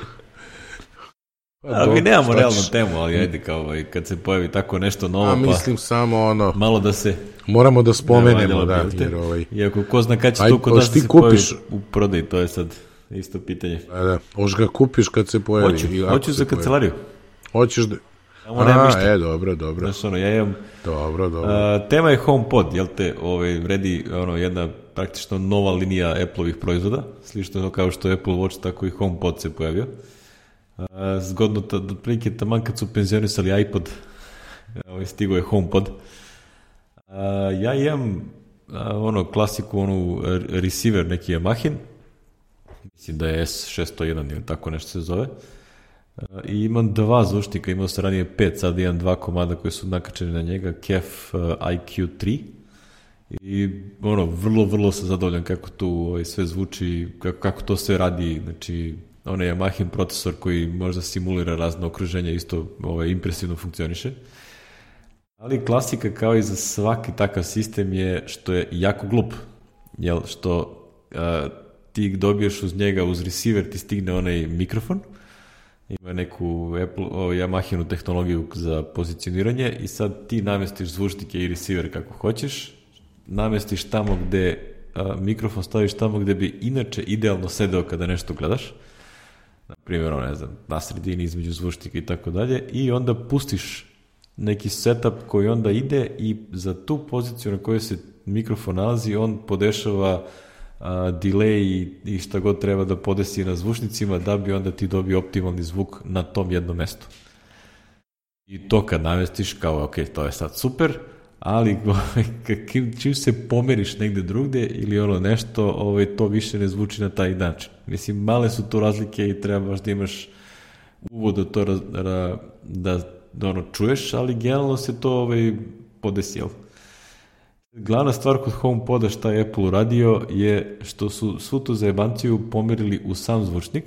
Pa, ali mi nemamo realnu temu, ali ajde kao ovaj, kad se pojavi tako nešto novo, a, mislim, pa samo ono, malo da se moramo da spomenemo, da, jer ovaj... Iako ko zna kad će to kod nas da se kupiš pojavi u prodaju, to je sad isto pitanje. Da, da, hoš ga kupiš kad se pojavi. Hoću, hoću za kancelariju. Hoćeš da... A, e, dobro, dobro. Znaš, ono, ja imam... Dobro, dobro. A, tema je HomePod, jel te, ovaj, vredi, ono, jedna praktično nova linija Apple-ovih proizvoda, slično kao što je Apple Watch, tako i HomePod se pojavio. A, zgodno, da otprilike taman kad su penzionisali iPod, ovaj, stigo je HomePod. A, ja imam a, ono, klasiku, onu, receiver, neki Yamahin, mislim da je es šesto jedan ili tako nešto se zove. I imam dva zvučnika, imao sam ranije pet, sad imam dva komada koji su nakačeni na njega, Kef i kju tri, i ono, vrlo, vrlo sam zadovoljan kako tu ovaj, sve zvuči, kako, kako to sve radi, znači, onaj Yamahin procesor koji možda simulira razne okruženja, isto ovaj, impresivno funkcioniše. Ali klasika kao i za svaki takav sistem je što je jako glup, jel, što a, ti dobiješ uz njega, uz receiver ti stigne onaj mikrofon, ima neku Apple, o, Yamahinu tehnologiju za pozicioniranje i sad ti namestiš zvučnike i receiver kako hoćeš, namestiš tamo gde a, mikrofon staviš tamo gde bi inače idealno sedeo kada nešto gledaš, na primjer, ne znam, na sredini između zvučnika i tako dalje, i onda pustiš neki setup koji onda ide i za tu poziciju na kojoj se mikrofon nalazi on podešava Uh, delay i, i šta god treba da podesi na zvučnicima da bi onda ti dobio optimalni zvuk na tom jednom mestu. I to kad namestiš kao, ok, to je sad super, ali čim se pomeriš negde drugde ili ono nešto, ovaj, to više ne zvuči na taj način. Mislim, male su to razlike i treba baš da imaš uvod da to da, da, da ono čuješ, ali generalno se to ovaj, podesi, jel? Glavna stvar kod HomePoda šta je Apple uradio je što su svu tu zajebanciju pomerili u sam zvučnik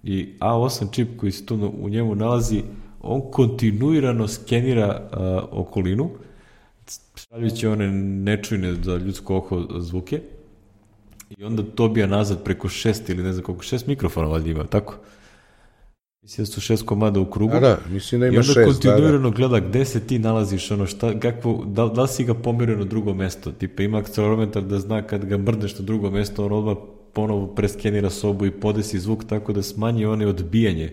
i A osam čip koji se tu u njemu nalazi, on kontinuirano skenira uh, okolinu, šaljući one nečujne za ljudsko oko zvuke i onda dobija nazad preko šest ili ne znam koliko, šest mikrofona valjda ima, tako? Mislim da su šest komada u krugu. Da, da, mislim da ima šest. I onda kontinuirano da, da. gleda gde se ti nalaziš, ono šta, kakvo, da, da li si ga pomerio na drugo mesto. Tipa ima akcelerometar da zna kad ga mrdneš na drugo mesto, on odmah ponovo preskenira sobu i podesi zvuk tako da smanji one odbijanje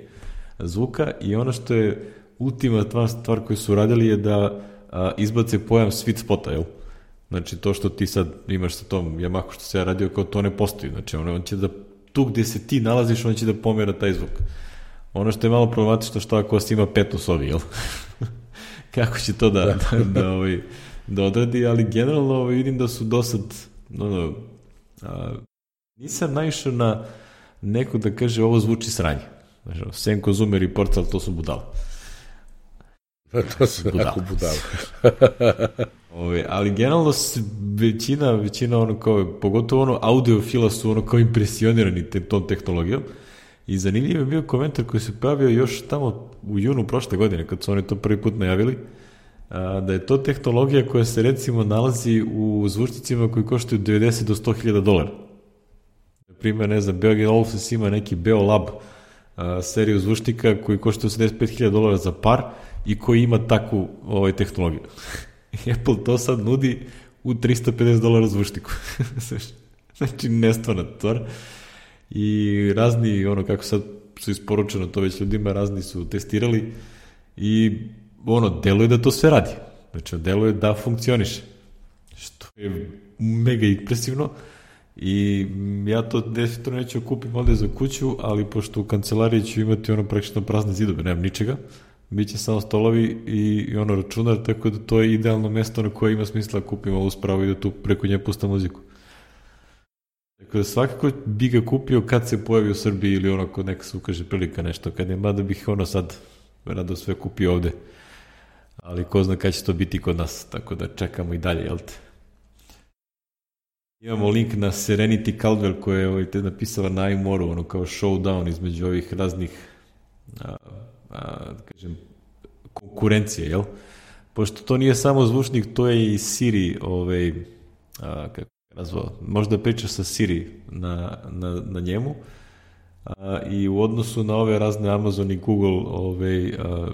zvuka i ono što je ultimatna stvar koju su radili je da a, izbace pojam sweet spota, jel? Znači to što ti sad imaš sa tom Yamahu što se ja radio, kao to ne postoji. Znači on, on će da, tu gde se ti nalaziš, on će da pomera taj zvuk. Ono što je malo problematično što ako vas ima pet u sobi, jel? Kako će to da, da, da, da, ovaj, da odradi, ali generalno ovaj, vidim da su dosad, ono, a, nisam naišao na neko da kaže ovo zvuči sranje. Znači, Senko, Zumer i Portal, to su budale. To su budale. Jako budale. Ove, ali generalno većina, većina ono kao, pogotovo ono audiofila su ono kao impresionirani te, tom tehnologijom. I zanimljiv je bio komentar koji se pojavio još tamo u junu prošle godine, kad su oni to prvi put najavili, da je to tehnologija koja se recimo nalazi u zvučnicima koji koštaju devedeset do sto hiljada dolara. Na primjer, ne znam, Beo Olufsen ima neki Beolab seriju zvučnika koji koštaju osamdeset pet hiljada dolara za par i koji ima takvu ovaj, tehnologiju. Apple to sad nudi u tristo pedeset dolara zvučniku. Znači, nestvarna stvar. I razni, ono, kako sad su isporučeno to već ljudima, razni su testirali i ono, deluje da to sve radi. Znači, deluje da funkcioniše. Što je mega impresivno i ja to definitivno neću kupiti ovde za kuću, ali pošto u kancelariji ću imati ono praktično prazne zidove, nemam ničega, biće samo stolovi i, i ono računar, tako da to je idealno mesto na koje ima smisla da kupim ovu spravu i da tu preko nje pustam muziku. Tako da svakako bi ga kupio kad se pojavi u Srbiji ili ono kod neka se ukaže prilika nešto, kad je, mada bih ono sad rado sve kupio ovde. Ali ko zna kada će to biti kod nas, tako da čekamo i dalje, jel te? Imamo link na Serenity Caldwell koja je ovaj, te napisala na iMoru, ono kao showdown između ovih raznih a, a, da kažem, konkurencije, jel? Pošto to nije samo zvučnik, to je i Siri, ovaj, a, kako je nazvao, možda pričaš sa Siri na, na, na njemu a, i u odnosu na ove razne Amazon i Google ovaj, a,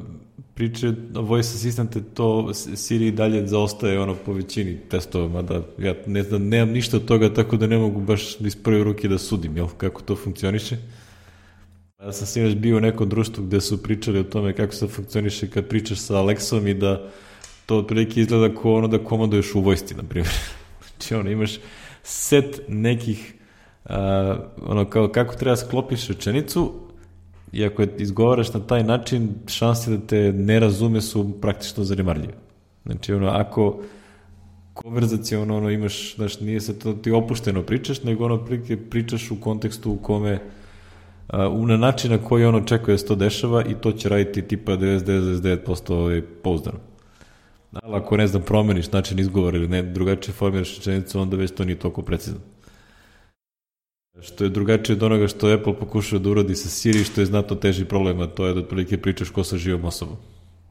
priče, voice asistente, to Siri dalje zaostaje ono po većini testova, mada ja ne znam, nemam ništa od toga, tako da ne mogu baš iz prve ruke da sudim, jel, kako to funkcioniše. Ja sam sinoć bio u nekom društvu gde su pričali o tome kako se funkcioniše kad pričaš sa Alexom i da to otprilike izgleda kao ono da komanduješ u vojsci, na primjer. Znači ono, imaš set nekih uh, ono kao kako treba sklopiš rečenicu i ako je izgovaraš na taj način, šanse da te ne razume su praktično zanemarljive. Znači, ono, ako konverzacijalno ono, imaš, znaš, nije se to ti opušteno pričaš, nego ono pričaš u kontekstu u kome, uh, na način na koji ono očekuje da se to dešava i to će raditi tipa devedeset devet zarez devet posto pouzdano. Ali ako, ne znam, promeniš način izgovora ili ne, drugačije formiraš rečenicu, onda već to nije toliko precizno. Što je drugačije od onoga što Apple pokušao da uradi sa Siri, što je znatno teži problem, a to je da otprilike pričaš ko sa živom osobom.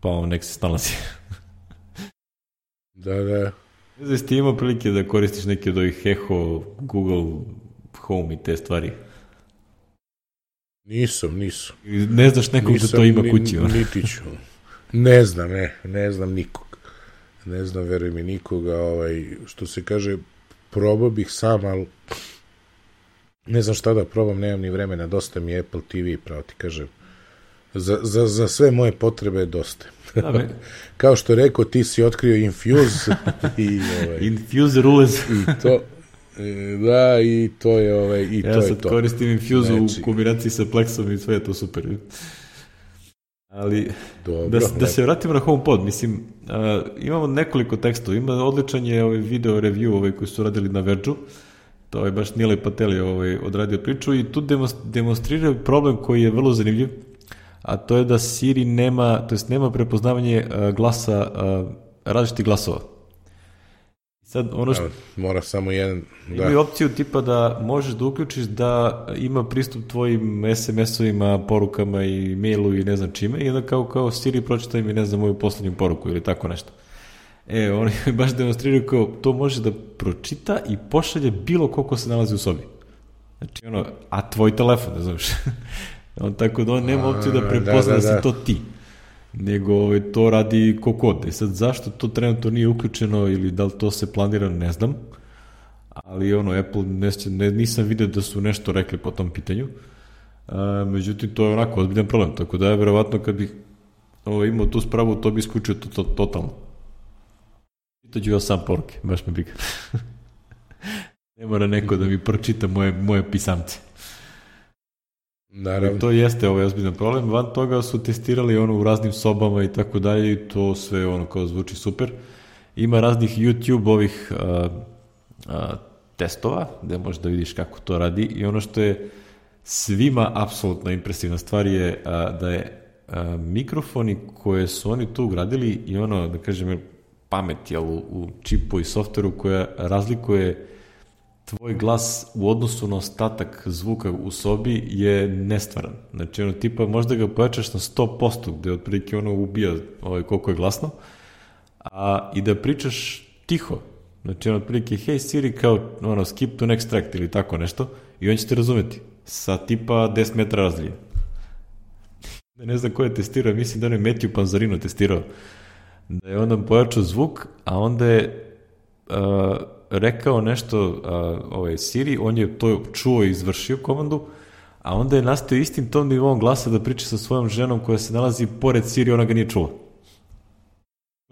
Pa on nek se snalazi. Da, da. Ne znam, ti imao prilike da koristiš neke od ovih Echo, Google Home i te stvari? Nisam, nisam. Ne znaš nekog nisam, da to ima kući? Ni, niti ću. Ne znam, ne, ne znam nikog. Ne znam, veruj mi, nikoga, ovaj, što se kaže, probao bih sam, ali ne znam šta da probam, nemam ni vremena, dosta mi je Apple T V, pravo ti kažem. Za, za, za sve moje potrebe je dosta. Kao što rekao, ti si otkrio Infuse. i, ovaj, Infuse rules. I to, da, i to je, ovaj, i ja to je to. Ja sad koristim Infuse znači, u kombinaciji sa Plexom i sve je to super. Ali, dobro, da, da se vratimo na HomePod, mislim, uh, imamo nekoliko tekstova, ima odličan je ovaj video review ovaj, koji su radili na Verge-u, to je baš Nilay Patel ovaj, odradio priču i tu demonstriraju problem koji je vrlo zanimljiv, a to je da Siri nema, to jest nema prepoznavanje uh, glasa, uh, različitih glasova. Sad, ono što... Mora samo jedan... Da. Ima opciju tipa da možeš da uključiš da ima pristup tvojim es em es-ovima, porukama i mailu i ne znam čime i onda kao, kao Siri pročitaj mi ne znam moju poslednju poruku ili tako nešto. E, oni baš demonstriraju kao to može da pročita i pošalje bilo ko ko se nalazi u sobi. Znači ono, a tvoj telefon, ne znaš. On tako da on nema opciju da prepozna da, da, da. da si to ti. Nego ovaj, to radi ko kod. E sad, zašto to trenutno nije uključeno ili da li to se planira, ne znam. Ali ono, Apple, ne, ne, nisam vidio da su nešto rekli po tom pitanju. A, međutim, to je onako ozbiljan problem. Tako da je verovatno kad bih ovo, imao tu spravu, to bi isključio to, to, totalno. Čitaću ja sam poruke, baš me briga. Ne mora neko da mi pročita moje, moje pisamce. Naravno. To jeste ovaj ozbiljan problem. Van toga su testirali ono u raznim sobama i tako dalje i to sve ono kao zvuči super. Ima raznih YouTube ovih a, a, testova gde možeš da vidiš kako to radi i ono što je svima apsolutno impresivna stvar je a, da je a, mikrofoni koje su oni tu ugradili i ono, da kažem, pamet jel, u, u čipu i softveru koja razlikuje tvoj glas u odnosu na ostatak zvuka u sobi je nestvaran. Znači, ono, tipa, možda ga pojačaš na sto posto, gde otprilike ono ubija ovaj, koliko je glasno, a i da pričaš tiho. Znači, ono, otprilike, hey Siri, kao, ono, skip to next track ili tako nešto, i on će te razumeti. Sa tipa deset metara razdalje. Ne znam ko je testirao, mislim da on je Matthew Panzarino testirao. Da je on nam pojačao zvuk, a onda je uh, rekao nešto uh, ovaj Siri, on je to čuo i izvršio komandu, a onda je nastao istim tom nivom glasa da priča sa svojom ženom koja se nalazi pored Siri, ona ga nije čula.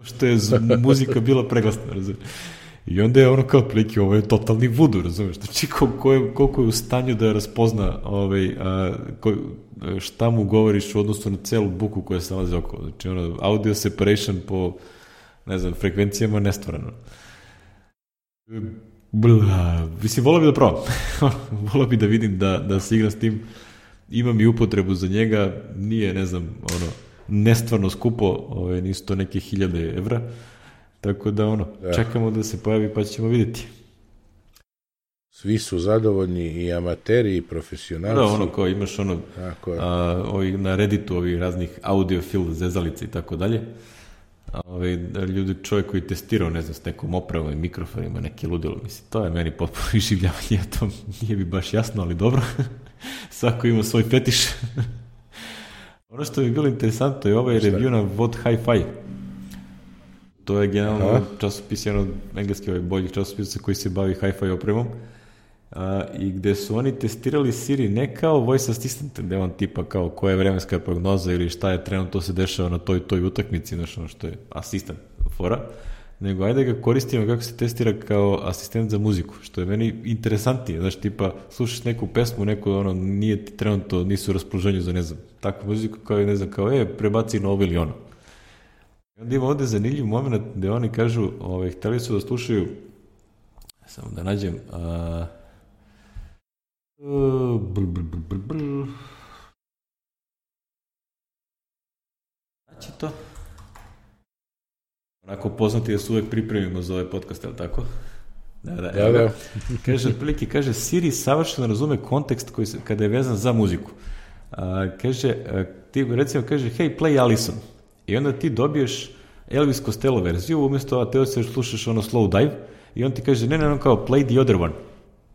Što je muzika bila preglasna, razumiješ. I onda je ono kao prilike, ovo je totalni vudu, razumiješ. Znači, koliko je, koliko je u stanju da raspozna ovaj, a, ko, šta mu govoriš u odnosu na celu buku koja se nalazi oko. Znači, ono, audio separation po, ne znam, frekvencijama nestvarano. Bla, mislim, volao bi da probam. Volao bi da vidim da, da se igram s tim. Imam i upotrebu za njega, nije, ne znam, ono, nestvarno skupo, ove, nisu to neke hiljade evra, tako da, ono, da. Čekamo da se pojavi pa ćemo vidjeti. Svi su zadovoljni, i amateri, i profesionalci. Da, ono, kao imaš, ono, a, ovi, na Redditu ovih raznih audiofil zezalica i tako dalje. Ove, ljudi, čovjek koji testirao, ne znam, s nekom opravom i mikrofonima, neke ludilo, mislim, to je meni potpuno iživljavanje, to nije bi baš jasno, ali dobro. Svako ima svoj fetiš. Ono što bi bilo interesantno je ovaj review na Vod Hi-Fi. To je generalno časopis, jedan od engleski ovaj boljih časopisa koji se bavi hi-fi opremom. A, i gde su oni testirali Siri ne kao voice assistant, gde on tipa kao koja je vremenska prognoza ili šta je trenutno se dešava na toj toj utakmici, znači ono što je asistent fora, nego ajde ga koristimo kako se testira kao asistent za muziku, što je meni interesantnije, znači tipa slušaš neku pesmu, neko ono nije ti trenutno, nisu u raspoloženju za ne znam, takvu muziku kao ne znam, kao e, prebaci na ovo ili ono. I onda ima ovde zanimljiv moment gde oni kažu, ovaj, hteli su da slušaju, samo da nađem, a, Uh, bl, bl, bl, bl, bl. Znači to? Onako poznati da se uvek pripremimo za ovaj podcast, je li tako? Da, da, da, da. Kaže, otprilike, kaže, Siri savršeno razume kontekst koji se, kada je vezan za muziku. A, kaže, a, ti recimo kaže, hey, play Allison. I onda ti dobiješ Elvis Costello verziju, umjesto a te se slušaš ono slow dive, i on ti kaže, ne, ne, ne, kao play the other one.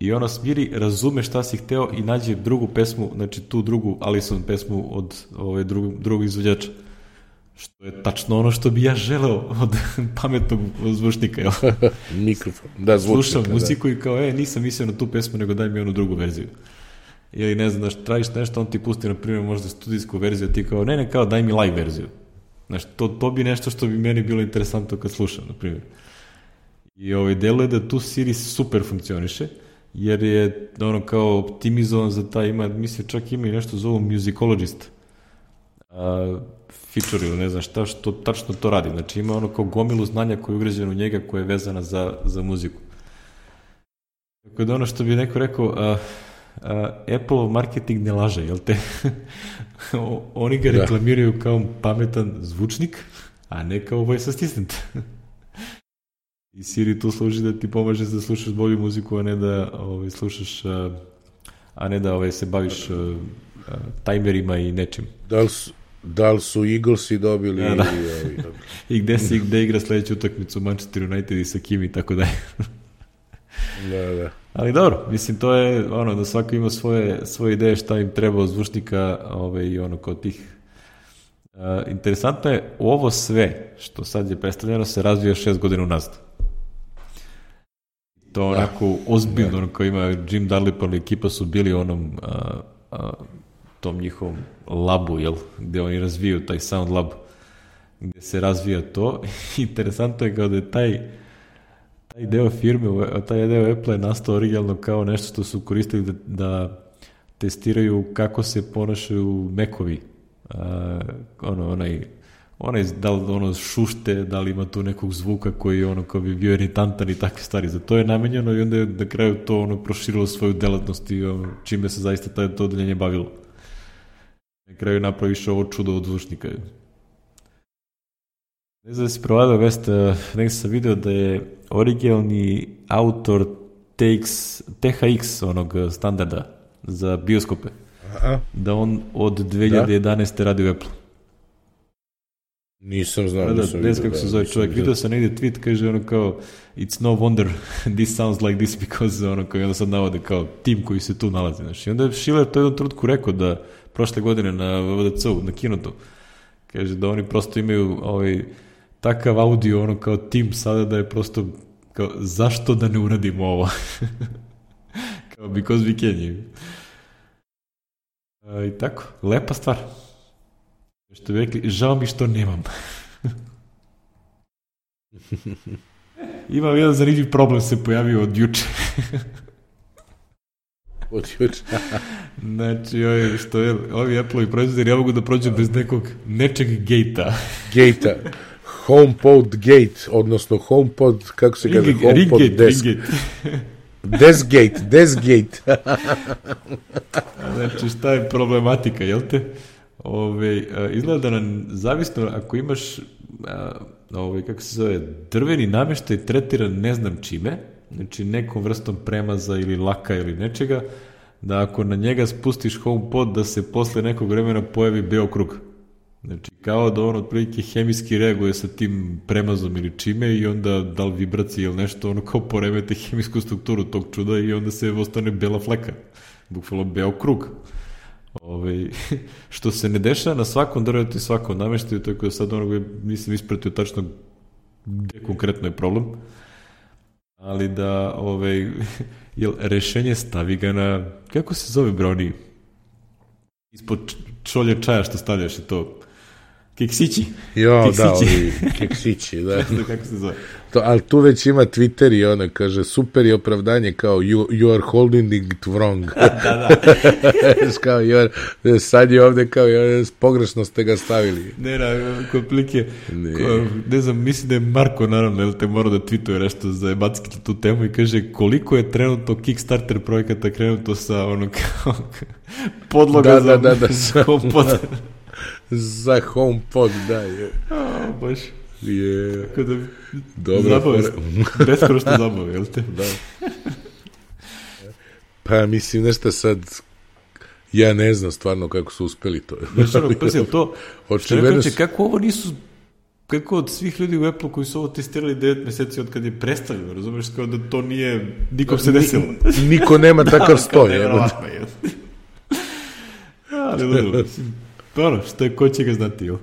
I ono smiri, razume šta si hteo i nađe drugu pesmu, znači tu drugu Allison pesmu od ove drugog, drugog izvođača. Što je tačno ono što bi ja želeo od pametnog zvučnika. Jel? Mikrofon, da, zvučnika. Slušam muziku da. I kao, e, nisam mislio na tu pesmu, nego daj mi onu drugu verziju. Ili ne znaš, tražiš nešto, on ti pusti, na primjer, možda studijsku verziju, ti kao, ne, ne, kao, daj mi live verziju. Znaš, to, to bi nešto što bi meni bilo interesantno kad slušam, na primjer. I ovaj, deluje da tu Siri super funkcioniše, jer je ono kao optimizovan za taj, ima, mislim, čak ima i nešto zovu musicologist uh, feature ili ne znam šta, što tačno to radi. Znači ima ono kao gomilu znanja koja je ugrađena u njega, koja je vezana za, za muziku. Tako da ono što bi neko rekao, uh, uh, Apple marketing ne laže, jel te? Oni ga reklamiraju kao pametan zvučnik, a ne kao voice assistant. I Siri tu služi da ti pomaže da slušaš bolju muziku, a ne da ovaj, slušaš, a ne da ovaj, se baviš uh, uh, tajmerima i nečim. Da li su, da li su Eaglesi dobili? Da, da. I, ovi, I gde si, gde igra sledeću utakmicu Manchester United i sa kim i tako dalje. Da, da. Ali dobro, mislim, to je ono, da svako ima svoje, svoje ideje šta im treba od zvučnika ovaj, i ono kod tih. Uh, interesantno je, ovo sve što sad je predstavljeno se razvija šest godina unazad. To onako ozbiljno, ono kao ima Jim Darlipon i ekipa su bili u onom a, a, tom njihovom labu, jel, gde oni razvijaju taj Sound Lab, gde se razvija to. Interesantno je kao da je taj taj deo firme, taj deo Apple je nastao originalno kao nešto što su koristili da, da testiraju kako se ponašaju Macovi. A, ono, onaj onaj, da li ono šušte, da li ima tu nekog zvuka koji ono kao bi bio iritantan i takve stvari. Za to je namenjeno i onda je na kraju to ono proširilo svoju delatnost i ono, čime se zaista taj, to odeljenje bavilo. Na kraju napraviš ovo čudo od zvučnika. Ne znam da si provadao vest, nekako sam video da je originalni autor T H X onog standarda za bioskope. Aha. Da on od dve hiljade jedanaeste da? Radi u Apple. Nisam znao da, da sam vidio. Kako se zove čovjek, vidio sam negdje tweet, kaže ono kao it's no wonder this sounds like this because ono kao onda sad navode kao tim koji se tu nalazi. Znači, onda je Schiller to jednom trenutku rekao da prošle godine na V D C-u, na Keynote-u, kaže da oni prosto imaju ovaj, takav audio ono kao tim sada da je prosto kao, zašto da ne uradimo ovo? Kao, because we can. A, I tako, lepa stvar. Što bi rekli, žao mi što nemam. Imam jedan zanimljiv problem se pojavio od juče. Od juče. Znači, ovi, što je, ovi Apple-ovi proizvodi ne mogu da prođu bez nekog nečeg gate-a. Gate-a. HomePod gate, odnosno HomePod, kako se kaže, HomePod Ringgate, desk. Ringgate. Deskgate, Deskgate. Znači, šta je problematika, jel te? Ove, izgleda da nam, zavisno, ako imaš, ove, kako se zove, drveni namještaj tretiran ne znam čime, znači nekom vrstom premaza ili laka ili nečega, da ako na njega spustiš HomePod, da se posle nekog vremena pojavi beo krug. Znači, kao da on otprilike hemijski reaguje sa tim premazom ili čime i onda da li vibracije ili nešto, ono kao poremete hemijsku strukturu tog čuda i onda se ostane bela fleka. Bukvalno beo krug. Ove, što se ne dešava na svakom drvetu i svakom namještaju, tako da sad onoga nisam ispratio tačno gde konkretno je problem. Ali da, ove, jel, rešenje stavi ga na, kako se zove broni? Ispod čolje čaja što stavljaš je to. Keksići. Jo, keksići. Da, ovi keksići, da. Ne znam kako se zove. To, ali tu već ima Twitter i ona kaže, super je opravdanje kao you, you are holding it wrong. Da, da. Kao, you are, sad je ovde kao, pogrešno ste ga stavili. Ne, na, komplike, ne. Ko, ne znam, mislim da je Marko, naravno, jel te mora da tweetuje nešto za ebatski tu temu i kaže koliko je trenutno Kickstarter projekata krenuto sa ono kao podloga da, za da, da, da, HomePod. Za HomePod, da je. A, baš. Je. Tako da, dobro. Zabave, beskoračno zabave, jel te? Da. Pa, mislim, nešto sad, ja ne znam stvarno kako su uspeli to. Znaš, ono, pa si, to, što rekao će, su... kako ovo nisu, kako od svih ljudi u Apple koji su ovo testirali devet meseci od kad je predstavljeno, razumeš, kao da to nije, nikom se desilo. Niko nema takav stoj. Nevjerovatno je. Ali, dobro, mislim, ono, što je, ko će ga znati, jel?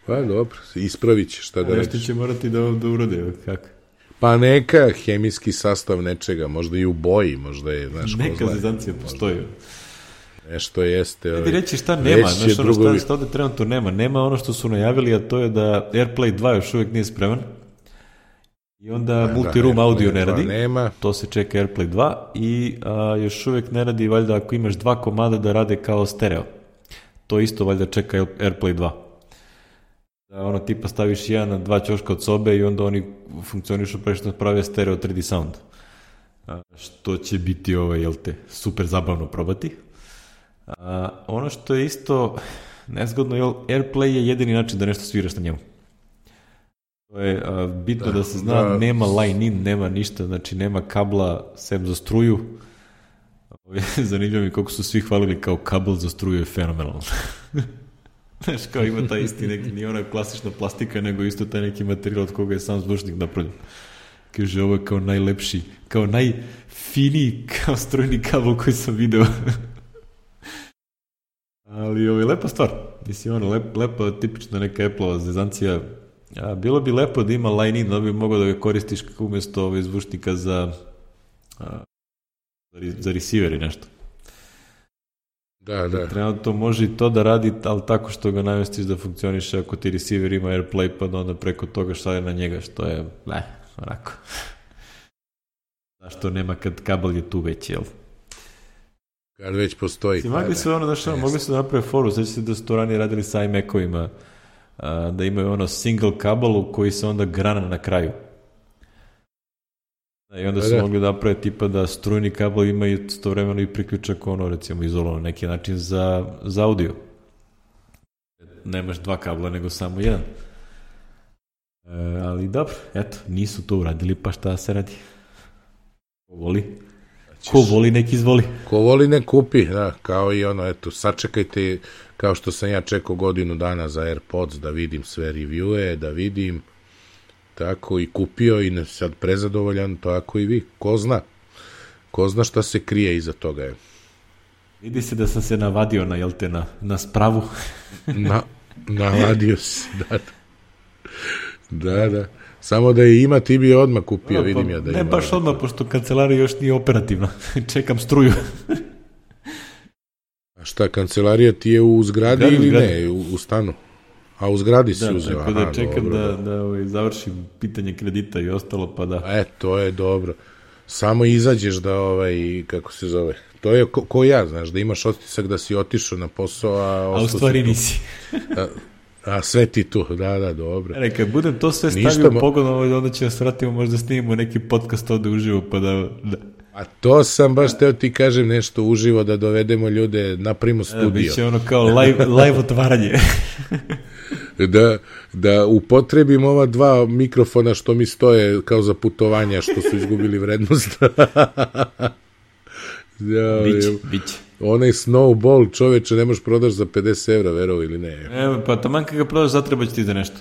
Pa, dobro, ispravit će, šta da reći. Nešto će morati da, da urode, kako? Pa neka hemijski sastav nečega, možda i u boji, možda je, znaš, ko zna. Neka zezancija postoji. Nešto jeste. Ne ti reći šta nema, znaš, ono šta, šta ovde trenutno nema. Nema ono što su najavili, a to je da AirPlay dva još uvijek nije spreman. I onda multi-room audio ne radi. Nema. To se čeka AirPlay dva i a, još uvijek ne radi, valjda, ako imaš dva komada da rade kao stereo. To isto valjda čeka AirPlay dva. Da ono tipa staviš jedan na dva ćoška od sobe i onda oni funkcionišu prešno prave stereo tri D sound. A, što će biti ovaj, jel te, super zabavno probati. A, ono što je isto nezgodno, jel, AirPlay je jedini način da nešto sviraš na njemu. To je a, bitno da, da se zna, da. Nema line in, nema ništa, znači nema kabla sem za struju. Zanimljivo mi koliko su svi hvalili kao kabel za struju je fenomenalno. Znaš, kao ima taj isti neki, nije ona klasična plastika, nego isto taj neki materijal od koga je sam zvučnik napravljen. Kaže, ovo je kao najlepši, kao najfiniji kao strujni kabel koji sam video. Ali ovo je lepa stvar. Mislim, ono, lep, lepa, tipična neka Apple-ova zezancija. A, bilo bi lepo da ima line in, da bi mogao da ga koristiš kako umjesto ove zvučnika za, a, za receiver i nešto. Da, da. Trenutno to može i to da radi, ali tako što ga namestiš da funkcioniše ako ti receiver ima AirPlay, pa da onda preko toga šalje na njega, što je, ne, onako. Zašto nema kad kabel je tu već, jel? Kad već postoji. Si mogli su ono, znaš, mogli su da naprave foru, znači se da su to ranije radili sa iMac-ovima, da imaju ono single kabel u koji se onda grana na kraju. I onda su da, mogli da naprave tipa da strujni kabel ima istovremeno i priključak, ono, recimo, izolovan na neki način za, za audio. Nemaš dva kabla, nego samo jedan. E, ali dobro, eto, nisu to uradili, pa šta se radi? Ko voli? Ko voli, nek izvoli. Ko voli, nek kupi, da, kao i ono, eto, sačekajte, kao što sam ja čekao godinu dana za AirPods, da vidim sve reviewe, da vidim, tako i kupio i sad prezadovoljan, tako i vi, ko zna, ko zna šta se krije iza toga je. Vidi se da sam se navadio na, jel te, na, na spravu. na, navadio se, da, da, da. Samo da je ima, ti bi je odmah kupio, no, pa, vidim ja da ne ima. Ne baš odmah, pošto kancelarija još nije operativna. Čekam struju. A šta, kancelarija ti je u zgradi, zgradi ili zgradi. Ne, u, u stanu? A u zgradi si da, uzeo? Tako da čekam dobro, da, da, da ovaj, završim pitanje kredita i ostalo, pa da... E, to je dobro. Samo izađeš da, ovaj, kako se zove, to je ko, ko ja, znaš, da imaš otisak da si otišao na posao, a... A u stvari nisi. a, a sve ti tu, da, da, dobro. Ne, kad budem to sve stavio u pogon, onda će nas vratimo, možda snimimo neki podcast ovde uživo, pa da... da. A to sam baš teo ti kažem nešto uživo, da dovedemo ljude, napravimo studio. Biće ono kao live, live otvaranje. da, da upotrebim ova dva mikrofona što mi stoje kao za putovanja, što su izgubili vrednost. ja, biće, biće. Onaj Snowball, čoveče, ne možeš prodaš za pedeset evra, verovo ili ne. Evo, pa taman kad ga prodaš, zatreba će ti za nešto.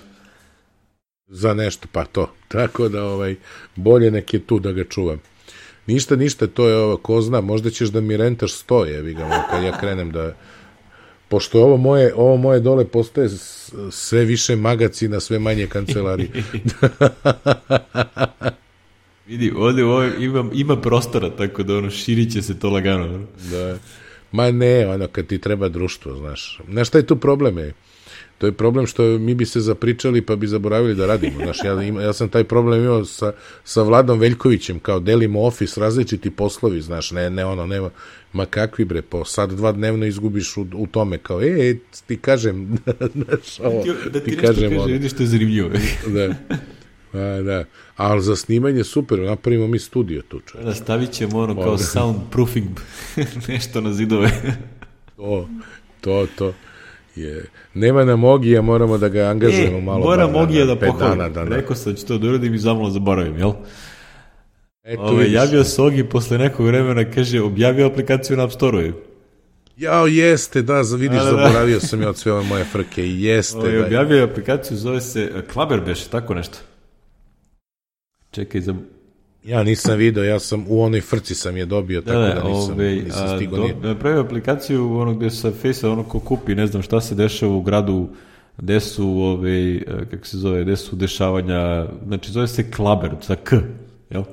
Za nešto, pa to. Tako da, ovaj, bolje nek je tu da ga čuvam. Ništa, ništa, to je ovo, ko zna, možda ćeš da mi rentaš sto, jebi ga, kad ja krenem da... Pošto ovo moje, ovo moje dole postoje sve više magacina, sve manje kancelarije. Vidi, ovdje ovo ima, ima prostora, tako da ono, širit će se to lagano. Da. Ma ne, ono, kad ti treba društvo, znaš. Znaš šta je tu problem, je? To je problem što mi bi se zapričali pa bi zaboravili da radimo. Znaš, ja, ima, ja sam taj problem imao sa, sa Vladom Veljkovićem, kao delimo ofis, različiti poslovi, znaš, ne, ne ono, nema, ma kakvi bre, po sad dva dnevno izgubiš u, u tome, kao, e, ti kažem, znaš, ovo, da ti, ti nešto kažem, kaže, ono, vidiš što je zanimljivo. da, a, da, ali za snimanje super, napravimo mi studio tu, čovječ. Da, stavit ćemo ono kao soundproofing, nešto na zidove. to, to, to. Je. Nema nam Ogija, moramo da ga angažujemo e, malo. Moram Ogija da pohvalim. Da, da. Rekao sam da ću to da uradim i zamalo zaboravim, jel? E, Ove, javio se Ogi posle nekog vremena, kaže, objavio aplikaciju na App Store-u. Jao, jeste, da, vidiš, da, da. Zaboravio sam ja od sve ove moje frke, jeste. Ove, da. Objavio aplikaciju, zove se Klaber beše, tako nešto. Čekaj, za... Ja nisam video, ja sam u onoj frci sam je dobio, tako da, da nisam, ove, nisam stigao. Do, napravio aplikaciju ono gde sa Face-a ono ko kupi, ne znam šta se dešava u gradu, gde su, ove, kako se zove, gde su dešavanja, znači zove se Klaber, sa K, jel?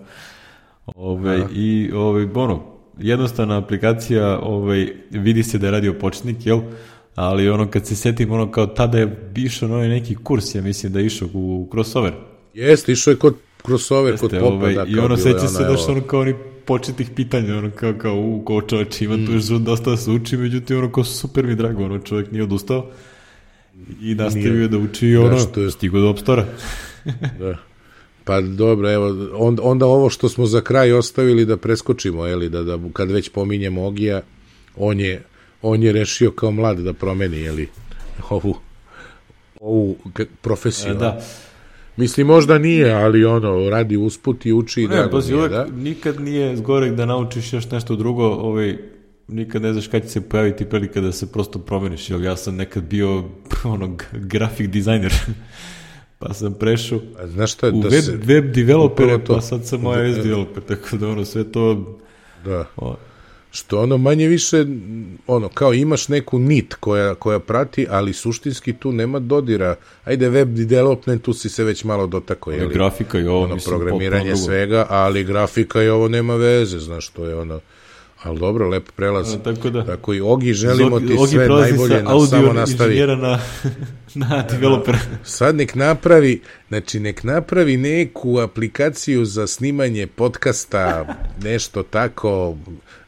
Ove, I ove, ono, jednostavna aplikacija, ove, vidi se da je radio početnik, jel? Ali ono kad se setim, ono kao tada je išao no, neki kurs, ja mislim da je išao u crossover. Jeste, išao je kod crossover, kod popa. Ovaj, da, I ono seća se da što ono kao oni početnih pitanja, ono kao, kao u, kao čovječ, ima mm. tu još dosta da se uči, međutim ono kao super mi drago, ono čovjek nije odustao i nastavio da uči i ono, da, je... stigo do Opstora. da. Pa dobro, evo, onda, onda ovo što smo za kraj ostavili da preskočimo, jeli, da, da kad već pominjemo Ogija, on je, on je rešio kao mlad da promeni, jeli, ovu, ovu profesiju. Da. Mislim, možda nije, ali ono, radi usput i uči i ne, drago nije, nije, da? Nikad nije zgorek da naučiš još nešto drugo, ovaj, nikad ne znaš kada će se pojaviti prilika da se prosto promeniš, jer ja sam nekad bio ono, grafik dizajner, pa sam prešao znaš šta, u da web, se, web developere, pa sad sam O S developer, tako da ono, sve to... Da. O, što ono manje više, ono, kao imaš neku nit koja, koja prati, ali suštinski tu nema dodira. Ajde, web development, tu si se već malo dotako, jeli? Grafika i ovo, ono, mislim, programiranje svega, ali grafika i ovo nema veze, znaš, to je ono, ali dobro, lep prelaz. A, tako da. Tako i Ogi, želimo ti Ogi sve najbolje, na, samo nastavi. Audio na, na developera. Sad nek napravi, znači nek napravi neku aplikaciju za snimanje podcasta, nešto tako,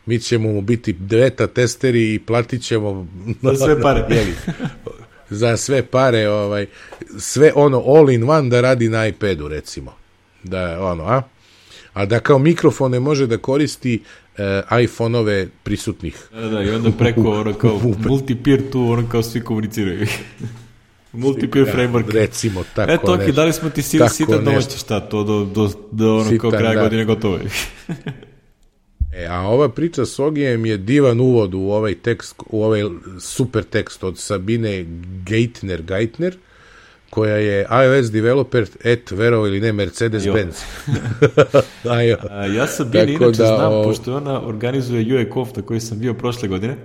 mi ćemo mu biti beta testeri i platit ćemo za sve pare. Jeli, za sve pare, ovaj, sve ono all in one da radi na iPadu, recimo. Da, ono, a? A da kao mikrofone može da koristi e, iPhone-ove prisutnih. Da, da, i onda preko ono kao multi-peer tu, ono kao svi komuniciraju. Multi-peer framework. Recimo, tako nešto. Eto, ok, dali smo ti sitan domaći šta, to do, do, do ono kao kraja godine gotovo je. E, a ova priča s Ogijem je divan uvod u ovaj tekst, u ovaj super tekst od Sabine Geithner, Geithner, koja je iOS developer et, verovo ili ne, Mercedes-Benz. A, ja Sabine inače da, znam, o... pošto ona organizuje U E Conf, na koji sam bio prošle godine.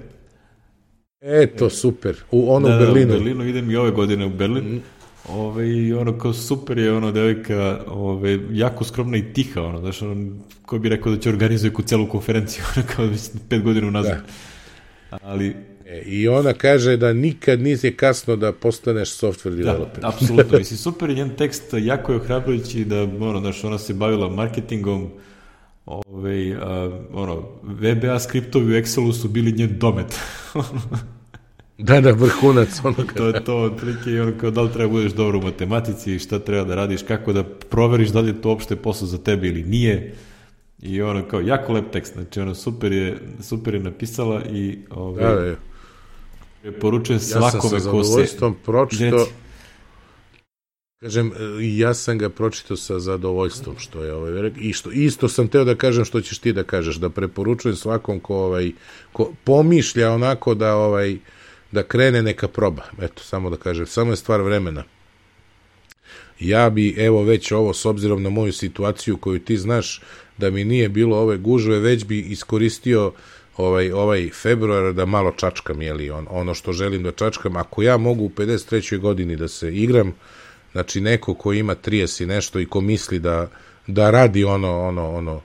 Eto, super. U ono da, u Berlinu. Da, u Berlinu, idem i ove godine u Berlin. Mm. Ove, ono kao super je ono devojka, ove, jako skromna i tiha, ono, znaš, ono, ko bi rekao da će organizuje ku celu konferenciju, ono, kao već pet godina unazad. Da. Ali... E, i ona kaže da nikad nije kasno da postaneš software developer. Da, apsolutno, mislim, super je njen tekst, jako je ohrabrujući da, ono, znaš, ona se bavila marketingom, ove, a, ono, V B A skriptovi u Excelu su bili njen domet, Da, da, vrhunac onoga. To je to, otprilike, i ono kao da li treba budeš dobro u matematici, šta treba da radiš, kako da proveriš da li je to uopšte posao za tebe ili nije. I ono kao, jako lep tekst, znači ono super je, super je napisala i ovaj, da, da, preporučujem svakome ko se... Ja sam sa zadovoljstvom pročito, kažem, ja sam ga pročito sa zadovoljstvom, što je ovaj, i što, isto sam teo da kažem što ćeš ti da kažeš, da preporučujem svakom ko, ovaj, ko pomišlja onako da ovaj da krene neka proba, eto, samo da kažem, samo je stvar vremena. Ja bi, evo već ovo, s obzirom na moju situaciju koju ti znaš, da mi nije bilo ove gužve, već bi iskoristio ovaj, ovaj februar da malo čačkam, jeli, on, ono što želim da čačkam, ako ja mogu u pedeset trećoj godini da se igram, znači neko ko ima trideset i nešto i ko misli da, da radi ono, ono, ono,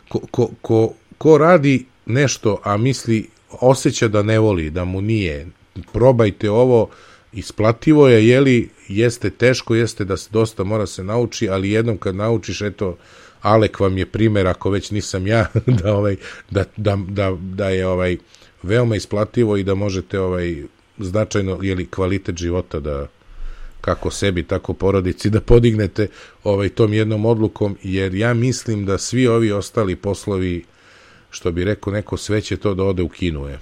ko, ko, ko, ko radi nešto, a misli, osjeća da ne voli, da mu nije, probajte ovo, isplativo je, jeli, jeste teško, jeste da se dosta mora se nauči, ali jednom kad naučiš, eto, Alek vam je primjer, ako već nisam ja, da, ovaj, da, da, da, da je ovaj, veoma isplativo i da možete ovaj, značajno, jeli, kvalitet života da kako sebi, tako porodici, da podignete ovaj, tom jednom odlukom, jer ja mislim da svi ovi ostali poslovi, što bi rekao neko, sve će to da ode u kinu, je.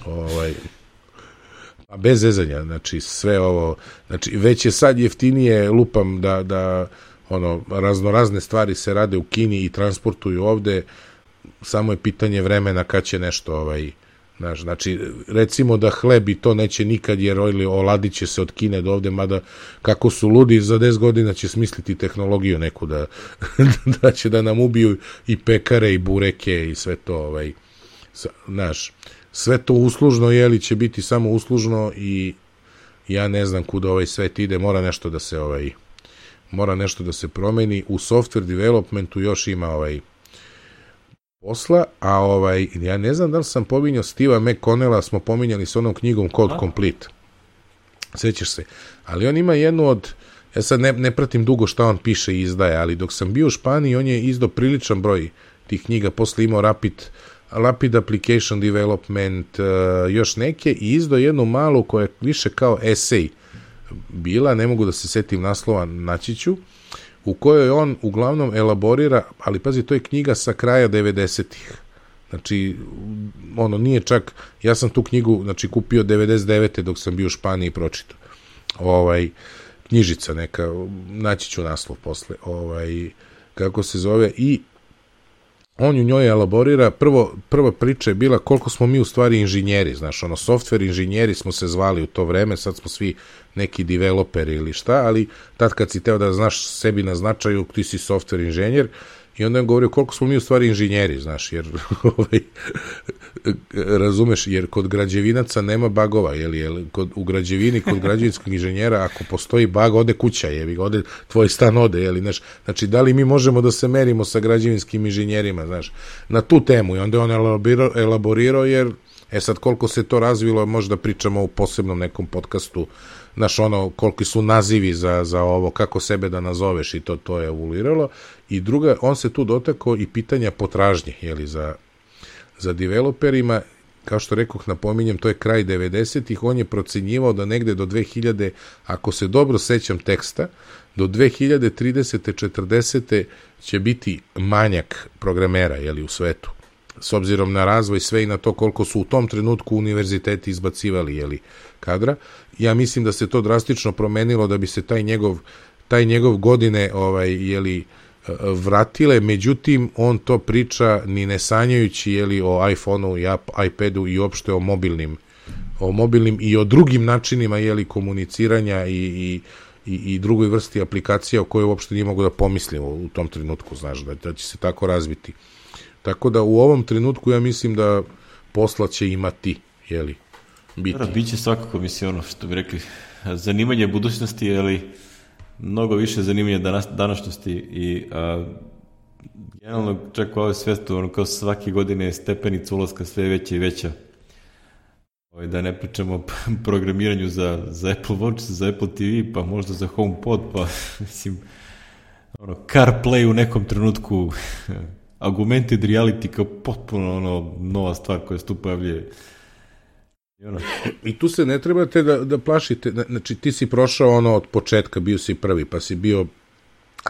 Ovaj, a bez zezanja, znači sve ovo, znači već je sad jeftinije, lupam da, da ono, raznorazne stvari se rade u Kini i transportuju ovde, samo je pitanje vremena kad će nešto, ovaj, znaš, znači, recimo da hleb i to neće nikad, jer oladit će se od Kine do ovde, mada kako su ludi, za deset godina će smisliti tehnologiju neku da, da će da nam ubiju i pekare i bureke i sve to, ovaj, znaš, sve to uslužno, jeli, će biti samo uslužno i ja ne znam kuda ovaj svet ide, mora nešto da se ovaj, mora nešto da se promeni. U software developmentu još ima ovaj posla, a ovaj, ja ne znam da li sam pominjao Steve'a McConnella, smo pominjali s onom knjigom Code Complete. Sećaš se. Ali on ima jednu od, ja sad ne, ne pratim dugo šta on piše i izdaje, ali dok sam bio u Španiji, on je izdao priličan broj tih knjiga, posle imao Rapid Rapid Application Development, uh, još neke, i izdao jednu malu koja je više kao esej bila, ne mogu da se setim naslova, naći ću, u kojoj on uglavnom elaborira, ali pazi, to je knjiga sa kraja devedesetih. Znači, ono, nije čak, ja sam tu knjigu, znači, kupio devedeset devete dok sam bio u Španiji i pročitao. Ovaj, knjižica neka, naći ću naslov posle, ovaj, kako se zove, i on u njoj elaborira, prvo, prva priča je bila koliko smo mi u stvari inženjeri, znaš, ono, software inženjeri smo se zvali u to vreme, sad smo svi neki developeri ili šta, ali tad kad si teo da znaš sebi na značaju, ti si software inženjer, i onda je govorio koliko smo mi u stvari inženjeri, znaš, jer, ovaj, razumeš, jer kod građevinaca nema bagova, jel, jel, kod, u građevini, kod građevinskog inženjera, ako postoji bag, ode kuća, jevi, ode, tvoj stan ode, jel, znaš, znači, da li mi možemo da se merimo sa građevinskim inženjerima, znaš, na tu temu, i onda je on elaborirao, elaborirao jer, e sad, koliko se to razvilo, možda pričamo u posebnom nekom podcastu, znaš, ono, koliki su nazivi za, za ovo, kako sebe da nazoveš, i to, to je evoluiralo. I druga, on se tu dotakao i pitanja potražnje, jeli, za, za developerima, kao što rekoh, napominjem, to je kraj devedesetih, on je procenjivao da negde do dve hiljade, ako se dobro sećam teksta, do dve hiljade tridesete četrdesete će biti manjak programera, jeli, u svetu, s obzirom na razvoj sve i na to koliko su u tom trenutku univerziteti izbacivali, jeli, kadra. Ja mislim da se to drastično promenilo, da bi se taj njegov, taj njegov godine, ovaj, jeli, vratile, međutim, on to priča ni ne sanjajući, jeli, o iPhoneu i iPadu i uopšte o mobilnim, o mobilnim i o drugim načinima, jeli, komuniciranja i, i, i, i drugoj vrsti aplikacija o kojoj uopšte nije mogu da pomislimo u tom trenutku, znaš, da, da će se tako razviti. Tako da u ovom trenutku ja mislim da posla će imati, jeli, biti. Biće svakako, mislim, ono što bi rekli, zanimanje budućnosti, jeli, mnogo više zanimljive danas, današnjosti i a, generalno čak u ovoj svetu, ono kao svake godine je stepenica ulaska sve veća i veća. Ovaj, da ne pričamo o programiranju za, za Apple Watch, za Apple T V, pa možda za HomePod, pa mislim, ono, CarPlay u nekom trenutku, augmented reality kao potpuno ono, nova stvar koja se tu pojavljuje. I, ono. I tu se ne trebate da, da plašite, znači ti si prošao ono od početka, bio si prvi, pa si bio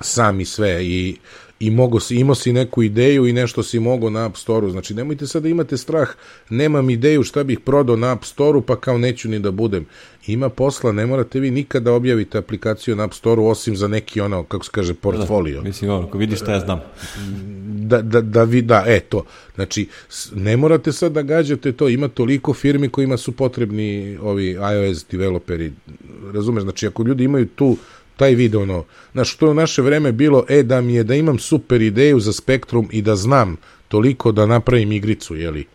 sam i sve i i mogo si, imao si neku ideju i nešto si mogao na App Store-u. Znači, nemojte sad da imate strah, nemam ideju šta bih prodao na App Store-u, pa kao neću ni da budem. Ima posla, ne morate vi nikada objaviti aplikaciju na App Store-u, osim za neki, ono, kako se kaže, portfolio. Da, mislim, ono, ko vidiš šta ja znam. Da, da, da, vi, da, e, to. Znači, ne morate sad da gađate to, ima toliko firmi kojima su potrebni ovi iOS developeri, razumeš, znači, ako ljudi imaju tu taj video, ono, znaš, to je u naše vreme bilo, e, da mi je, da imam super ideju za Spektrum i da znam toliko da napravim igricu, jeli,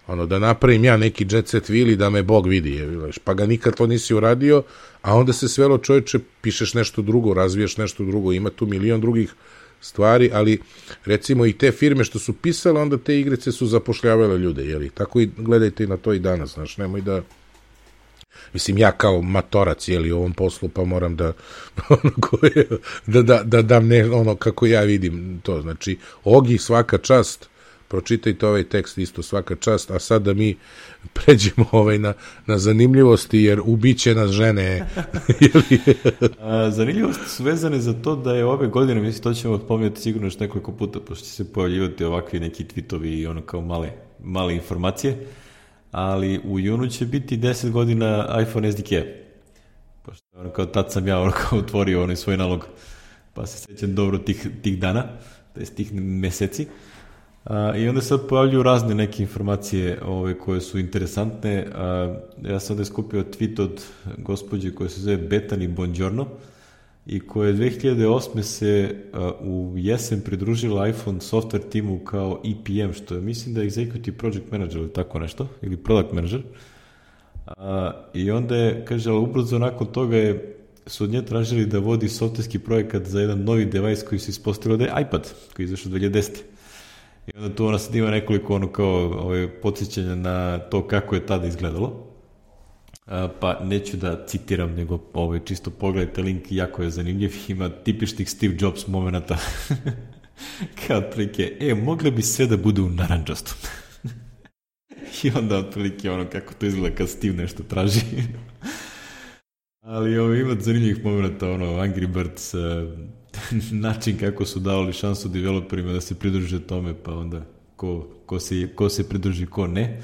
ono, da napravim ja neki Jet Set Willy da me Bog vidi, je, pa ga nikad to nisi uradio, a onda se svelo, čovječe, pišeš nešto drugo, razviješ nešto drugo, ima tu milion drugih stvari, ali recimo i te firme što su pisale, onda te igrice su zapošljavale ljude, jeli, tako i gledajte i na to i danas, znaš, nemoj da mislim, ja kao matorac, jeli, u ovom poslu, pa moram da ono koje, da, da, da dam ne, ono kako ja vidim to. Znači, Ogi, svaka čast, pročitajte ovaj tekst isto, svaka čast, a sad da mi pređemo ovaj na, na zanimljivosti, jer ubiće nas žene. a, zanimljivosti su vezane za to da je ove godine, mislim, to ćemo spomenuti sigurno još nekoliko puta, pošto će se pojavljivati ovakvi neki tweetovi i ono kao male, male informacije, ali u junu će biti deset godina iPhone S D K. Pošto ono kao tad sam ja ono kao otvorio onaj svoj nalog, pa se sećam dobro tih, tih dana, to jest tih meseci. A, I onda sad pojavljuju razne neke informacije ove, koje su interesantne. A, ja sam ovdje skupio tweet od gospođe koja se zove Bethany Bongiorno i koja je dve hiljade osme se a, u jesen pridružila iPhone software timu kao E P M, što je, mislim da je Executive Project Manager ili tako nešto, ili Product Manager. A, I onda je, kaže, ali ubrzo nakon toga je, su od nje tražili da vodi softverski projekat za jedan novi device koji se ispostavilo da je iPad, koji je izašao dve hiljade desete. I onda tu ona sad ima nekoliko ono kao ove, podsjećanja na to kako je tada izgledalo. A, pa neću da citiram, nego ovaj, čisto pogledajte link, jako je zanimljiv, ima tipičnih Steve Jobs momenata. Kao otprilike, e, mogle bi sve da bude u naranđastu. I onda otprilike ono kako to izgleda kad Steve nešto traži. Ali ovo, ima zanimljivih momenata, ono, Angry Birds, način kako su davali šansu developerima da se pridruže tome, pa onda ko, ko, se, ko se pridruži, ko ne.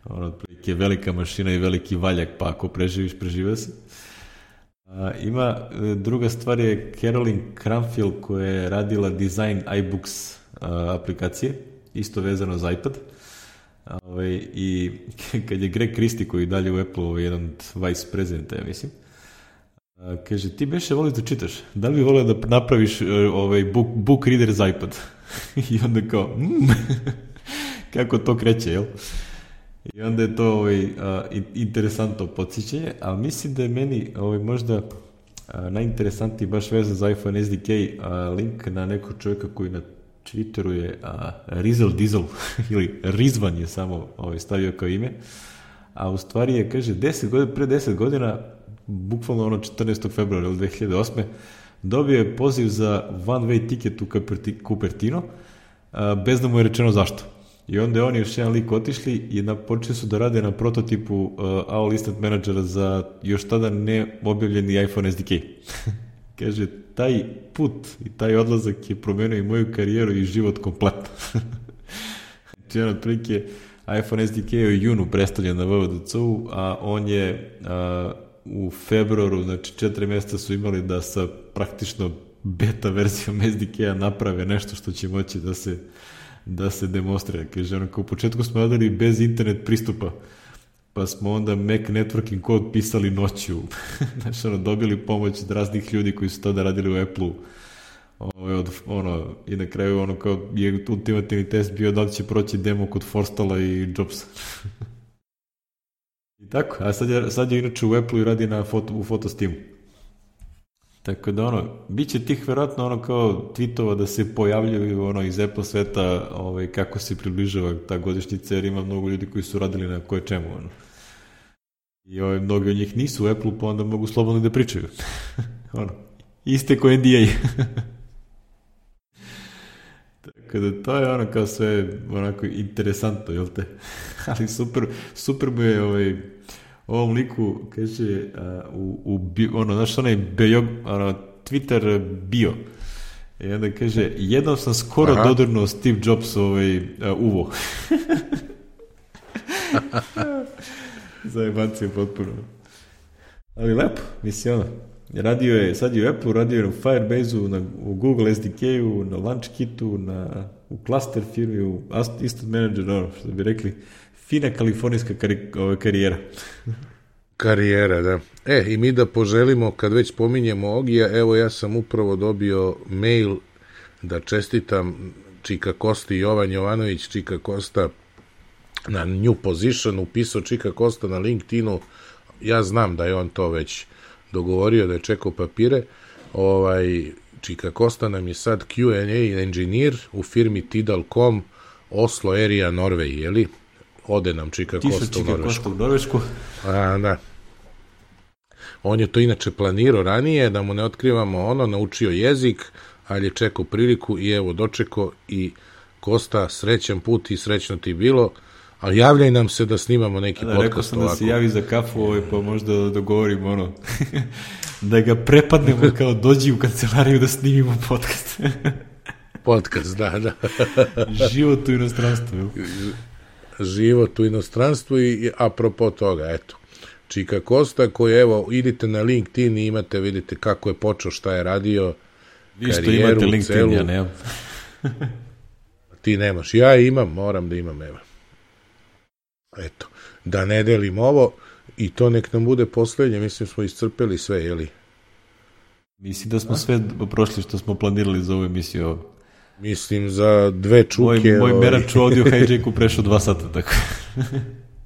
Ono, otprilike velika mašina i veliki valjak, pa ako preživiš, preživa se. A, ima, druga stvar je Caroline Cranfield koja je radila design iBooks a, aplikacije, isto vezano za iPad. A, ovaj, i kad je Greg Christie, koji dalje u Apple, jedan od vice prezidenta, ja mislim, a, kaže, ti beše voliš da čitaš, da li bi volio da napraviš ovaj, book, book reader za iPad? I onda kao, mm, kako to kreće, jel? I onda je to ovaj, uh, interesantno podsjećanje, ali mislim da je meni ovaj, možda uh, najinteresantniji baš vezan za iPhone S D K uh, link na nekog čovjeka koji na Twitteru je uh, Rizzle Dizzle ili Rizvan je samo ovaj, stavio kao ime, a u stvari je, kaže, deset godina, pre deset godina, bukvalno ono četrnaestog februara dve hiljade osme dobio je poziv za one way ticket u Cupertino uh, bez da mu je rečeno zašto. I onda je oni još jedan lik otišli i na, počeli su da rade na prototipu uh, All Instant Managera za još tada ne objavljeni iPhone S D K. Kaže, taj put i taj odlazak je promenio i moju karijeru i život kompletno. Znači, on otprilike iPhone S D K je u junu predstavljen na W W D C-u, a on je uh, u februaru, znači četiri mjeseca su imali da sa praktično beta verzijom S D K-a naprave nešto što će moći da se da se demonstrira. Kaže, ono, kao u početku smo radili bez internet pristupa, pa smo onda Mac networking kod pisali noću. Znači, ono, dobili pomoć od raznih ljudi koji su tada radili u Apple-u. Ono, ono, i na kraju, ono, kao je ultimativni test bio da li će proći demo kod Forstalla i Jobsa. I tako, a sad je, sad je inače u Apple-u i radi na foto, u Fotosteamu. Tako da ono, bit će tih verovatno ono kao tweetova da se pojavljaju ono iz Apple sveta ovaj, kako se približava ta godišnjica, jer ima mnogo ljudi koji su radili na koje čemu. Ono. I ovaj, mnogi od njih nisu u Apple, pa onda mogu slobodno da pričaju. ono, iste ko N D A. Tako da to je ono kao sve onako interesantno, jel te? Ali super, super mu je ovaj, ovom liku, kaže, uh, u, u bio, ono, znaš, onaj bio, ono, Twitter bio. I onda kaže, jednom sam skoro Aha. dodrnuo Steve Jobs ovaj, uh, uvo. Zajebancio potpuno. Ali lepo, mislim, ono, radio je, sad je u Apple, radio je u Firebase-u, na, u Google S D K-u, na LaunchKit-u, na, u Cluster firmi, u Instant Manager, ono, što bi rekli, fina kalifornijska kari, karijera. Karijera, da. E, i mi da poželimo, kad već pominjemo Ogija, evo ja sam upravo dobio mail da čestitam Čika Kosti, Jovan Jovanović, Čika Kosta na new position, upisao Čika Kosta na LinkedInu, ja znam da je on to već dogovorio, da je čekao papire, ovaj, Čika Kosta nam je sad Q and A engineer u firmi Tidal dot com, Oslo area Norway, jeli? Ode nam Čika Kosta u Norvešku. u Norvešku. A, da. On je to inače planirao ranije, da mu ne otkrivamo ono, naučio jezik, ali je čekao priliku i evo dočekao i Kosta, srećan put i srećno ti bilo, a javljaj nam se da snimamo neki da, podcast. Rekao sam ovako. Da se javi za kafu ovaj, pa možda da dogovorimo ono, da ga prepadnemo kao dođi u kancelariju da snimimo podcast. Podcast, da, da. Život u inostranstvu. Život u inostranstvu i apropo toga, eto. Čika Kosta koji, evo, idite na LinkedIn i imate, vidite kako je počeo, šta je radio, vi što imate LinkedIn, celu. Ja nemam. Ti nemaš, ja imam, moram da imam, evo. Eto, da ne delim ovo i to nek nam bude poslednje, mislim smo iscrpeli sve, jeli? Mislim da smo A? sve prošli što smo planirali za ovu emisiju. Mislim za dve čuke. Moj, moj ovaj... merač u audio hijack-u prešao dva sata, tako.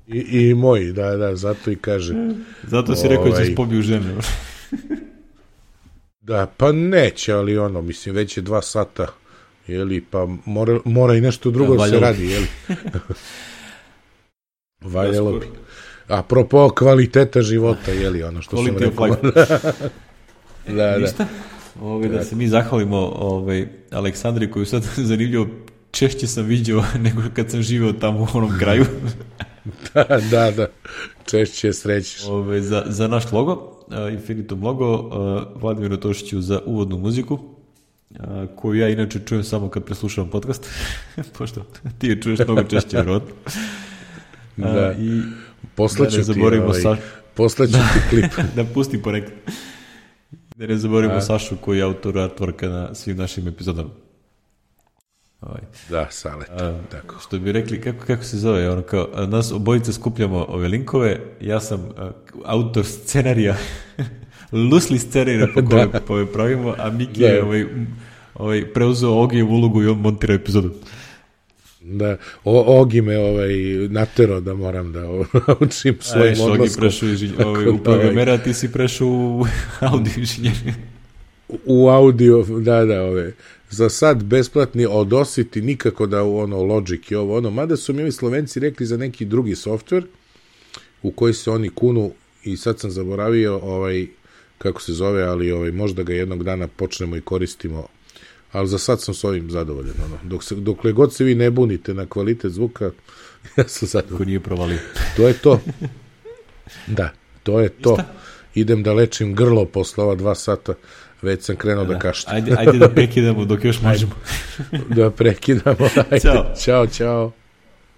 I, I moj, da, da, zato i kaže. Zato si rekao da ovaj... ćeš pobiju žene. Da, pa neće, ali ono, mislim, već je dva sata, jeli, pa mora, mora i nešto drugo da se radi, jeli. Valjalo bi. Apropo kvaliteta života, jeli, ono što sam rekao. da, da. Ništa? Ove, da se mi zahvalimo ovaj, Aleksandri koju sad zanimljivo češće sam viđao nego kad sam živeo tamo u onom kraju. da, da, da. Češće srećiš. Ove, za, za naš logo, uh, Infinitum logo, uh, Vladimiru Tošiću za uvodnu muziku, uh, koju ja inače čujem samo kad preslušavam podcast, pošto ti je čuješ mnogo češće vjerojatno. Uh, da. I poslaću da ti, ovaj, sa... poslaću ti klip. da pustim porekli. Da ne zaboravimo A. Sašu koji je autor artworka na svim našim epizodama. Ovaj. Da, Salet. A, tako. Što bi rekli, kako, kako se zove? Ono kao, nas obojice skupljamo ove linkove, ja sam a, autor scenarija, lusli scenarija po koje, po koje pravimo, a Miki da. je ovaj, ovaj, preuzeo Ogijev ulogu i on montira epizodu. Da, o, Ogi me ovaj, natero da moram da učim svojim odlaskom. Ogi prešao ovaj, u programera, ti si prešao u audio inženjeriju. U audio, da, da, ove. Za sad besplatni od Ositi, nikako da u ono Logic i ovo ono, mada su mi ovi Slovenci rekli za neki drugi softver u koji se oni kunu i sad sam zaboravio ovaj, kako se zove, ali ovaj, možda ga jednog dana počnemo i koristimo, ali za sad sam s ovim zadovoljan. Ono. Dok se, dokle god se vi ne bunite na kvalitet zvuka, ja sam zadovoljan. Ko nije provalio. To je to. Da, to je to. Šta? Idem da lečim grlo posle ova dva sata. Već sam krenuo da, da kaštim. Ajde, ajde da prekidamo dok još možemo. Da prekidamo. Ajde. Ćao. Ćao, čao.